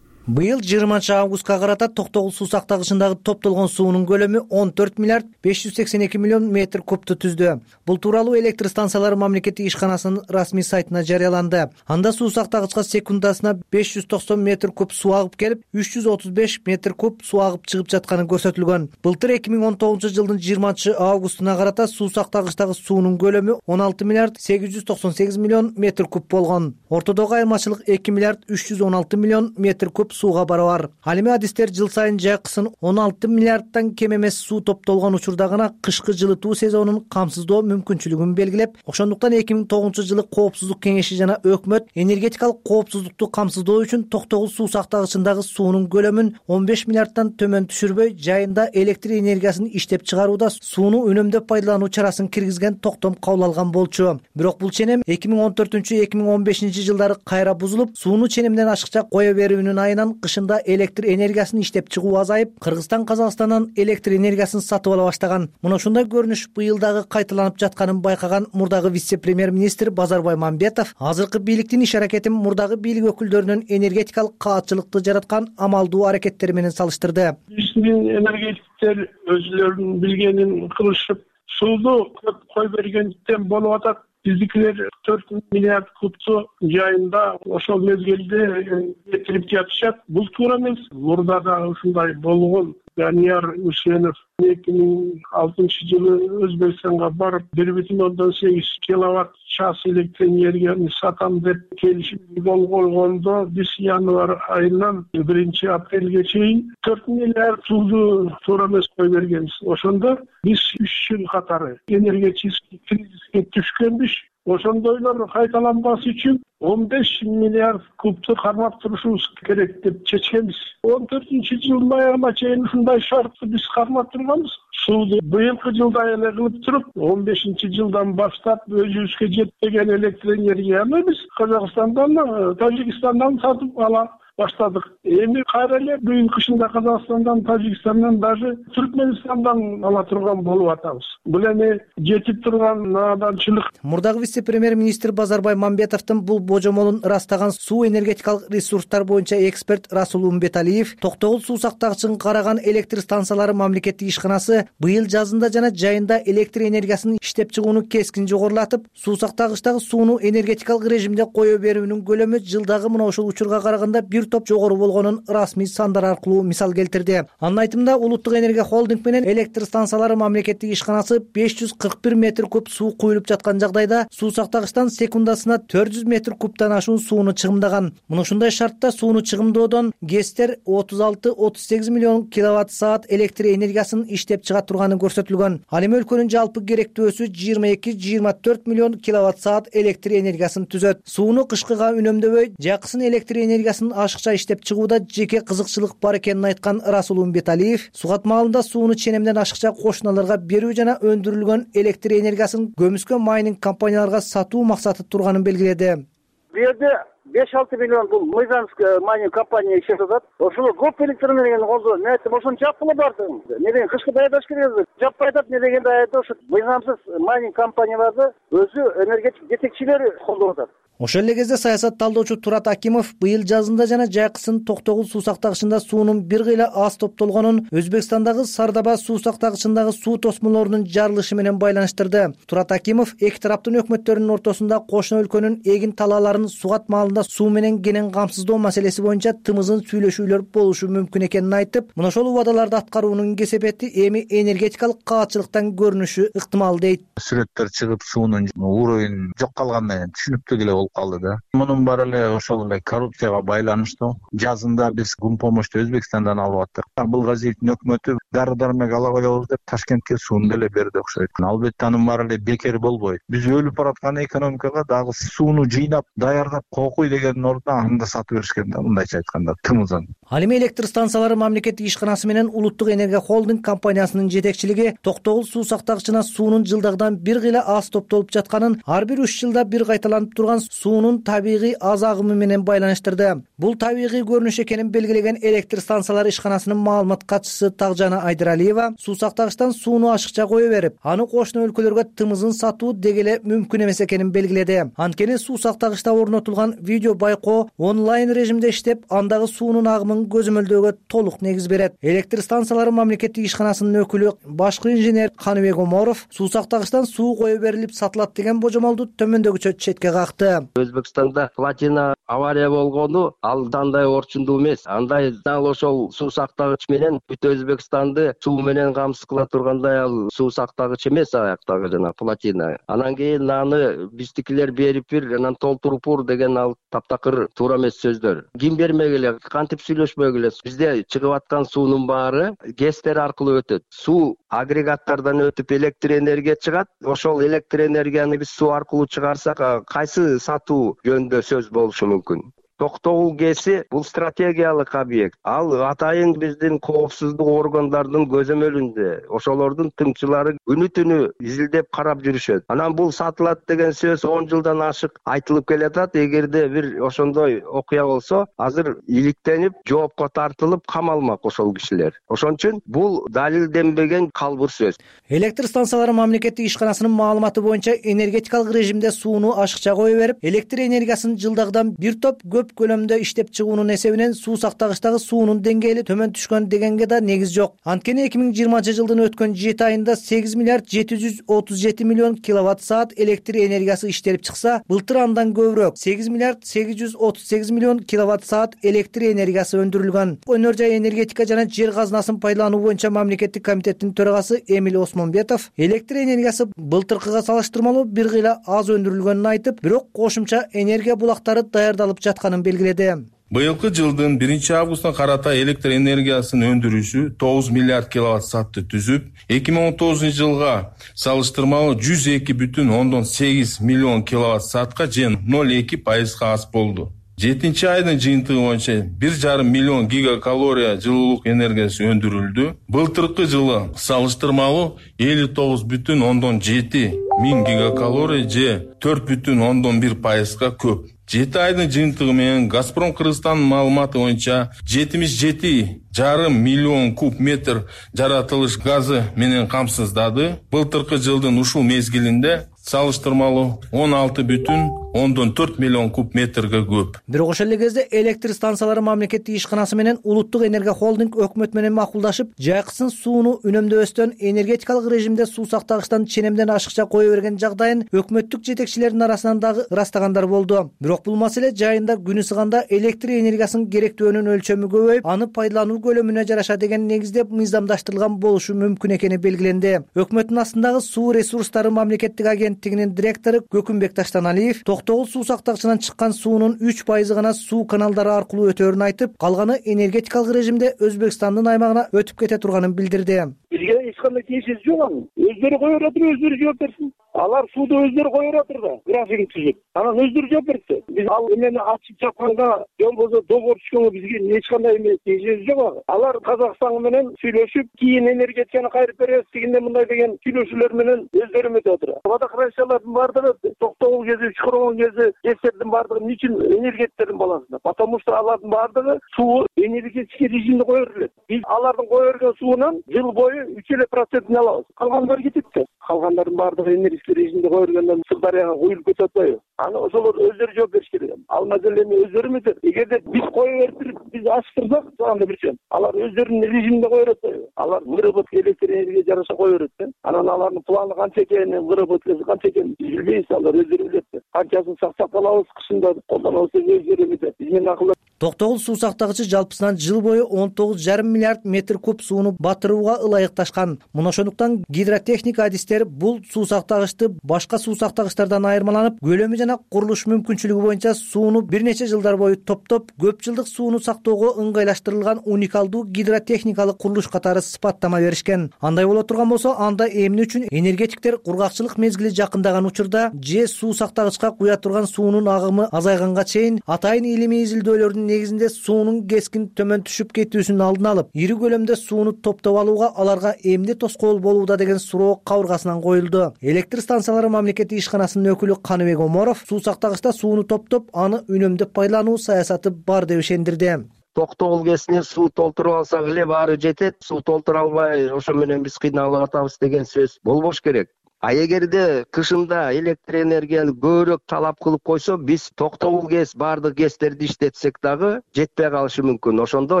Быйыл жыйырманчы августка карата Токтогул суу сактагычындагы топтолгон суунун көлөмү он төрт миллиард беш жүз сексен эки миллион метр кубту түздү. Бул тууралуу электр станциялары мамлекеттик ишканасынын расмий сайтына жарыяланды. Анда суу сактагычка секундасына беш жүз токсон метр куб суу агып келип, үч жүз отуз беш метр куб суу агып чыгып жатканы көрсөтүлгөн. Былтыр эки миң он тогузунчу жылдын жыйырманчы августуна карата суу сактагычтагы суунун көлөмү он алты миллиард сегиз жүз токсон сегиз миллион метр куб болгон. Ортодогу айырмачылык эки миллиард үч жүз он алты миллион метр куб сууга барабар. Ал эми адистер жыл сайын жайкысын он алты миллиардтан кем эмес суу топтолгон учурда гана кышкы жылытуу сезонун камсыздоо мүмкүнчүлүгүн белгилеп, ошондуктан эки миң тогузунчу жылы Коопсуздук кеңеши жана өкмөт энергетикалык коопсуздукту камсыздоо үчүн Токтогул суу сактагычындагы суунун көлөмүн он беш миллиардтан төмөн түшүрбөй, жайында электр энергиясын иштеп чыгарууда сууну үнөмдөп пайдалануу чарасын киргизген токтом кабыл алган болчу. Бирок бул ченем эки миң он төртүнчү эки миң он бешинчи жылдары кайра бузулуп, сууну ченемден ашыкча кое берүүнүн айынан кышында электр энергиясын иштеп чыгуу азайып, Кыргызстан Казакстандан электр энергиясын сатып ала баштаган. Мына ушундай көрүнүш быйыл дагы кайталанып жатканын байкаган мурдагы вице-премьер-министр Базарбай Мамбетов азыркы бийликтин иш-аракетин мурдагы бийлик өкүлдөрүнүн энергетикалык каатчылыкты жараткан амалдуу аракеттери менен салыштырды. Биздин энергетиктер өзүлөрүнүн билгенин кылышып, сууну көп кой бергендиктен болуп атат. Биздикилер төрт миллиард кубту жайында ошол мезгилде кетирип жатышат. Бул туура эмес. Мурда да ушундай болгон. Данияр Үсенов эки миң алтынчы жылы Өзбекстанга барып бир бүтүн ондон сегиз киловатт час электр энергияны сатам деп келишим кол койгондо, биз январь айынан биринчи апрелге чейин төрт миллиард сууну туура эмес кой бергенбиз. Ошондо биз үч жыл катары энергетический кризиске түшкөнбүз. Ошондойлор кайталанбас үчүн он беш миллиард кубту кармап турушубуз керек деп чечкенбиз. он төртүнчү жылдын аягына чейин ушундай шартты биз кармап турганбыз. Сууну быйылкы жылда эле кылып туруп, он бешинчи жылдан баштап өзүбүзгө жетпеген электр энергияны биз Казакстандан, Тажикстандан сатып ала баштадык. Эми кайра эле быйыл кышында Казакстандан, Тажикстандан, даже Түркменистандан ала турган болуп атабыз. Бул эми жетип турган наданчылык. Мурдагы вице-премьер-министр Базарбай Мамбетовдун бул божомолун ырастаган суу энергетикалык ресурстар боюнча эксперт Расул Умбеталиев Токтогул суу сактагычын караган электр станциялары мамлекеттик ишканасы быйыл жазында жана жайында электр энергиясын иштеп чыгууну кескин жогорулатып, суу сактагычтагы сууну энергетикалык режимде кое берүүнүн көлөмү жылдагы мына ушул учурга караганда бир топ жогору болгонун расмий сандар аркылуу мисал келтирди. Анын айтымында Улуттук энергия холдинг менен электр станциялары мамлекеттик ишканасы беш жүз кырк бир метр куб суу куюлуп жаткан жагдайда суу сактагычтан секундасына төрт жүз метр кубтан ашуун сууну чыгымдаган. Мына ушундай шартта сууну чыгымдоодон ГЭСтер отуз алты отуз сегиз миллион киловатт саат электр энергиясын иштеп чыга турганы көрсөтүлгөн. Ал эми өлкөнүн жалпы керектөөсү жыйырма эки жыйырма төрт миллион киловатт саат электр энергиясын түзөт. Сууну кышкыга үнөмдөбөй, жаксын электр энергиясын ашыкча иштеп чыгууда жеке кызыкчылык бар экенин айткан Расул Умбеталиев сугат маалында сууну ченемден ашыкча кошуналарга берүү жана өндүрүлгөн электр энергиясын көмүскө майнинг компанияларга сатуу максаты турганын белгиледи. Бу жерде беш алты миллион бул Мыйзамская майнинг компания иштеп атат. Ошол көп электр энергияны колдонот. Мен айттым, ошону жапкыла бардыгын. Не деген кышкы даярдаш керек. Жаппай атат, не дегенде айда ошо мыйзамсыз майнинг компанияларды өзү энергетик жетекчилери колдоп атат. Ошол эле кезде саясат талдоочу Турат Акимов быйыл жазында жана жайкысын Токтогул суу сактагычында суунун бир кыйла аз топтолгонун Өзбекстандагы Сардаба суу сактагычындагы суу тосмолорунун жарылышы менен байланыштырды. Турат Акимов эки тараптын өкмөттөрүнүн ортосунда кошуна өлкөнүн эгин талааларын сугат маалында суу менен кенен камсыздоо маселеси боюнча тымызын сүйлөшүүлөр болушу мүмкүн экенин айтып, мына ошол убадаларды аткаруунун кесепети эми энергетикалык каатчылыктан көрүнүшү ыктымал дейт. Сүрөттөр чыгып суунун уровень жок калганы түшүнүктүү эле болуп калды да. Мунун баары эле ошол эле коррупцияга байланыштуу. Жазында биз гум помощту Өзбекстандан алып аттык. Абылгазиевдин өкмөтү дары-дармек ала коебуз деп Ташкентке сууну деле берди окшойт. Албетте анын баары эле бекер болбойт. Биз өлүп бараткан экономикага дагы сууну жыйнап, даярдап коюй дегендин ордуна аны да сатып беришкен да, мындайча айтканда, тымызын. Ал эми электр станциялары мамлекеттик ишканасы менен Улуттук энергия холдинг компаниясынын жетекчилиги Токтогул суу сактагычына суунун жылдагыдан бир кыйла аз топтолуп жатканын, ар бир үч жылда бир кайталанып турган суунун табигый аз агымы менен байланыштырды. Бул табигый көрүнүш экенин белгилеген электр станциялары ишканасынын маалымат катчысы Тагжана Айдыралиева суу сактагычтан сууну ашыкча кое берип, аны кошуна өлкөлөргө тымызын сатуу деги эле мүмкүн эмес экенин белгиледи. Анткени суу сактагычта орнотулган видео байкоо онлайн режимде иштеп, андагы суунун агымын көзөмөлдөөгө толук негиз берет. Электр станциялары мамлекеттик ишканасынын өкүлү башкы инженер Каныбек Оморов суу сактагычтан суу кое берилип сатылат деген божомолду төмөндөгүчө четке какты. Өзбекстанда платина авария болгону ал андай орчундуу эмес. Андай дал ошол суу сактагыч менен бүт Өзбекстанды суу менен камсыз кыла тургандай ал суу сактагыч эмес аяктагы жана платина. Анан кийин аны биздикилер берип бир, анан толтуруп бур деген ал таптакыр туура эмес сөздөр. Ким бермегиле, кантип сүйлөшмөгүлө. Бизде чыгып аткан суунун баары гэстер аркылуу өтөт. Суу агрегаттардан өтүп электр энергия чыгат. Ошол электр энергияны биз суу аркылуу чыгарсак, кайсы сатуу жөнүндө сөз болушу мүмкүн? Токтогул ГЭСи бул стратегиялык объект. Ал атайын биздин коопсуздук органдардын көзөмөлүндө. Ошолордун тыңчылары күнү түнү изилдеп карап жүрүшөт. Анан бул сатылат деген сөз он жылдан ашык айтылып келатат. Эгерде бир ошондой окуя болсо, азыр иликтенип, жоопко тартылып камалмак ошол кишилер. Ошон үчүн бул далилденбеген калбыр сөз. Электр станциялары мамлекеттик ишканасынын маалыматы боюнча энергетикалык режимде сууну ашыкча кое берип, электр энергиясын жылдагыдан бир топ көп көлөмдө иштеп чыгуунун эсебинен суу сактагычтагы суунун деңгээли төмөн түшкөн дегенге да негиз жок. Анткени эки миң жыйырманчы жылдын өткөн жети айында сегиз миллиард жети жүз отуз жети миллион киловатт саат электр энергиясы иштелип чыкса, былтыр андан көбүрөөк сегиз миллиард сегиз жүз отуз сегиз миллион киловатт саат электр энергиясы өндүрүлгөн. Өнөр жай энергетика жана жер казынасын пайдалануу боюнча мамлекеттик комитеттин төрагасы Эмил Осмонбетов электр энергиясы былтыркыга салыштырмалуу бир кыйла аз өндүрүлгөнүн айтып, бирок кошумча энергия булактары даярдалып жатканын белгиледи. Быйылкы жылдын биринчи августуна карата электр энергиясынын өндүрүшү тогуз миллиард киловатт саатты түзүп, эки миң он тогузунчу жылга салыштырмалуу жүз эки бүтүн ондон сегиз миллион киловатт саатка же ноль эки пайызга аз болду. жетинчи айдын жыйынтыгы боюнча бир жарым миллион гигакалория жылуулук энергиясы өндүрүлдү. Былтыркы жылы салыштырмалуу элүү тогуз бүтүн ондон жети миң гигакалория же төрт бүтүн ондон бир пайызга көп. жети айдын жыйынтыгы менен Газпром Кыргызстандын маалыматы боюнча жетимиш жети жарым миллион куб метр жаратылыш газы менен камсыздады. Былтыркы жылдын ушул мезгилинде салыштырмалуу он алты бүтүн ондон төрт миллион куб метрге көп. Бирок ошол эле кезде электр станциялары мамлекеттик ишканасы менен Улуттук энергия холдинг өкмөт менен макулдашып, жайкысын сууну үнөмдөбөстөн энергетикалык режимде суу сактагычтан ченемден ашыкча кое берген жагдайын өкмөттүк жетекчилердин арасынан дагы ырастагандар болду. Бирок бул маселе жайында күнү сыганда электр энергиясынын керектүүнүн өлчөмү көбөйүп, аны пайдалануу көлөмүнө жараша деген негизде мыйзамдаштырылган болушу мүмкүн экени белгиленди. Өкмөттүн астындагы суу ресурстары мамлекеттик агенттигинин директору Көкүмбек Таштаналиев Токтогул суу сактагычынан чыккан суунун үч пайызы гана суу каналдары аркылуу өтөөрүн айтып, калганы энергетикалык режимде Өзбекстандын аймагына өтүп кете турганын билдирди. Бизге эч кандай тиешеси жок анын. Өздөрү кое берет, өздөрү жооп берсин. Алар сууду өздөрү кое берет да, графигин түзүп. Анан өздөрү жооп берсе, биз ал эмени ачып чапканга, же болбосо договор түзгөнгө бизге эч кандай эме тиешеси жок. Алар Казакстан менен сүйлөшүп, кийин энергетиканы кайрып беребиз дегенде мындай деген сүйлөшүүлөр менен өздөрү өтүп отурат. Водохранилищалардын баардыгы Токтогул кези, Чукургон кези, ГЭСтердин баардыгы эмне энергетиктердин баласында? Потому что алардын баардыгы суу энергетический режимде кое берилет. Биз алардын кое берген суунан жыл бою үч эле процентин алабыз. Калгандары кетет да. Калгандардын баардыгы энергетический режимде кое бергенден Сырдарыяга куюлуп кетип атпайбы? Аны ошолор өздөрү жооп бериш керек. Ал маселени өздөрү эметет. Эгерде биз кое берип биз ачтырсак, анда бир жөн. Алар өздөрүнүн режиминде кое берет атпайбы? Алар выработка электр энергия жараша кое берет да. Анан алардын планы канча экени, выработкасы канча экенин билбейбиз, алар өздөрү билет да. Канчасын сактап калабыз, кышында колдонобуз деп өздөрү эметет. Биз менен акылда. Токтогул суу сактагычы жалпысынан жыл бою он тогуз жарым миллиард метр куб сууну батырууга ылайыкташкан. Мына ошондуктан гидротехника адистер бул суу сактагычты башка суу сактагычтардан айырмаланып, көлөмү жана курулуш мүмкүнчүлүгү боюнча сууну бир нече жылдар бою топтоп, көп жылдык сууну сактоого ыңгайлаштырылган уникалдуу гидротехникалык курулуш катары сыпаттама беришкен. Андай боло турган болсо, анда эмне үчүн энергетиктер кургакчылык мезгили жакындаган учурда же суу сактагычка куя турган суунун агымы азайганга чейин атайын илимий изилдөөлөрдүн берүүнүн негизинде суунун кескин төмөн түшүп кетүүсүнүн алдын алып, ири көлөмдө сууну топтоп алууга аларга эмне тоскоол болууда деген суроо кабыргасынан коюлду. Электр станциялары мамлекеттик ишканасынын өкүлү Каныбек Оморов суу сактагычта сууну топтоп, аны үнөмдөп пайдалануу саясаты бар деп ишендирди. Токтогул КЭСине суу толтуруп алсак эле баары жетет. Суу толтура албай ошо менен биз кыйналып атабыз деген сөз болбош керек. А эгерде кышында электр энергияны көбүрөөк талап кылып койсо, биз токтогул КЭС баардык КЭСтерди иштетсек дагы жетпей калышы мүмкүн. Ошондо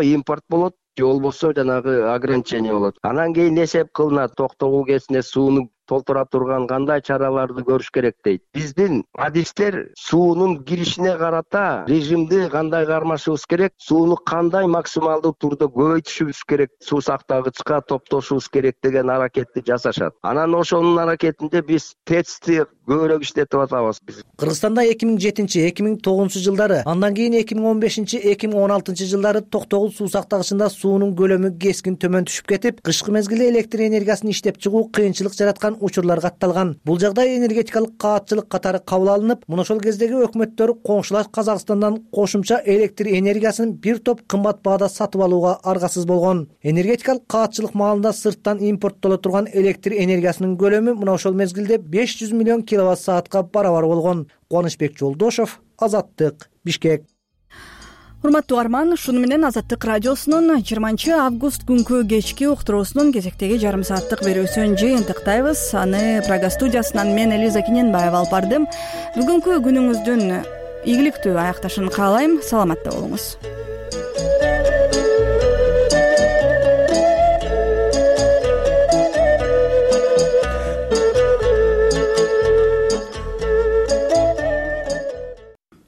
импорт болот, же болбосо жанагы ограничение болот. Анан кийин эсеп кылынат, токтогул КЭСине сууну толтура турган кандай чараларды көрүш керек дейт. Биздин адистер суунун киришине карата режимди кандай кармашыбыз керек, сууну кандай максималдуу турда көбөйтүшүбүз керек, суу сактагычка топтошубуз керек деген аракетти жасашат. Анан ошонун аракетинде биз тецти көбүрөөк иштетип атабыз биз. Кыргызстанда эки миң жетинчи эки миң тогузунчу жылдары, андан кийин эки миң он бешинчи эки миң он алтынчы жылдары токтогул суу сактагычында суунун көлөмү кескин төмөн түшүп кетип, кышкы мезгилде электр энергиясын иштеп чыгуу кыйынчылык жараткан учурлар катталган. Бул жагдай энергетикалык каатчылык катары кабыл алынып, мына ошол кездеги өкмөттөр коңшулаш Казакстандан кошумча электр энергиясын бир топ кымбат баада сатып алууга аргасыз болгон. Энергетикалык каатчылык маалында сырттан импорттоло турган электр энергиясынын көлөмү мына ошол мезгилде беш жүз миллион киловатт саатка барабар болгон. Кубанычбек Жолдошов, Азаттык, Бишкек. Урматтуу угарман, ушуну менен Азаттык радиосунун жыйырманчы август күнкү кечки уктуруусунун кезектеги жарым сааттык берүүсүн жыйынтыктайбыз. Аны Прага студиясынан мен Элиза Киненбаева алып бардым. Бүгүнкү күнүңүздүн ийгиликтүү аякташын каалайм. Саламатта болуңуз.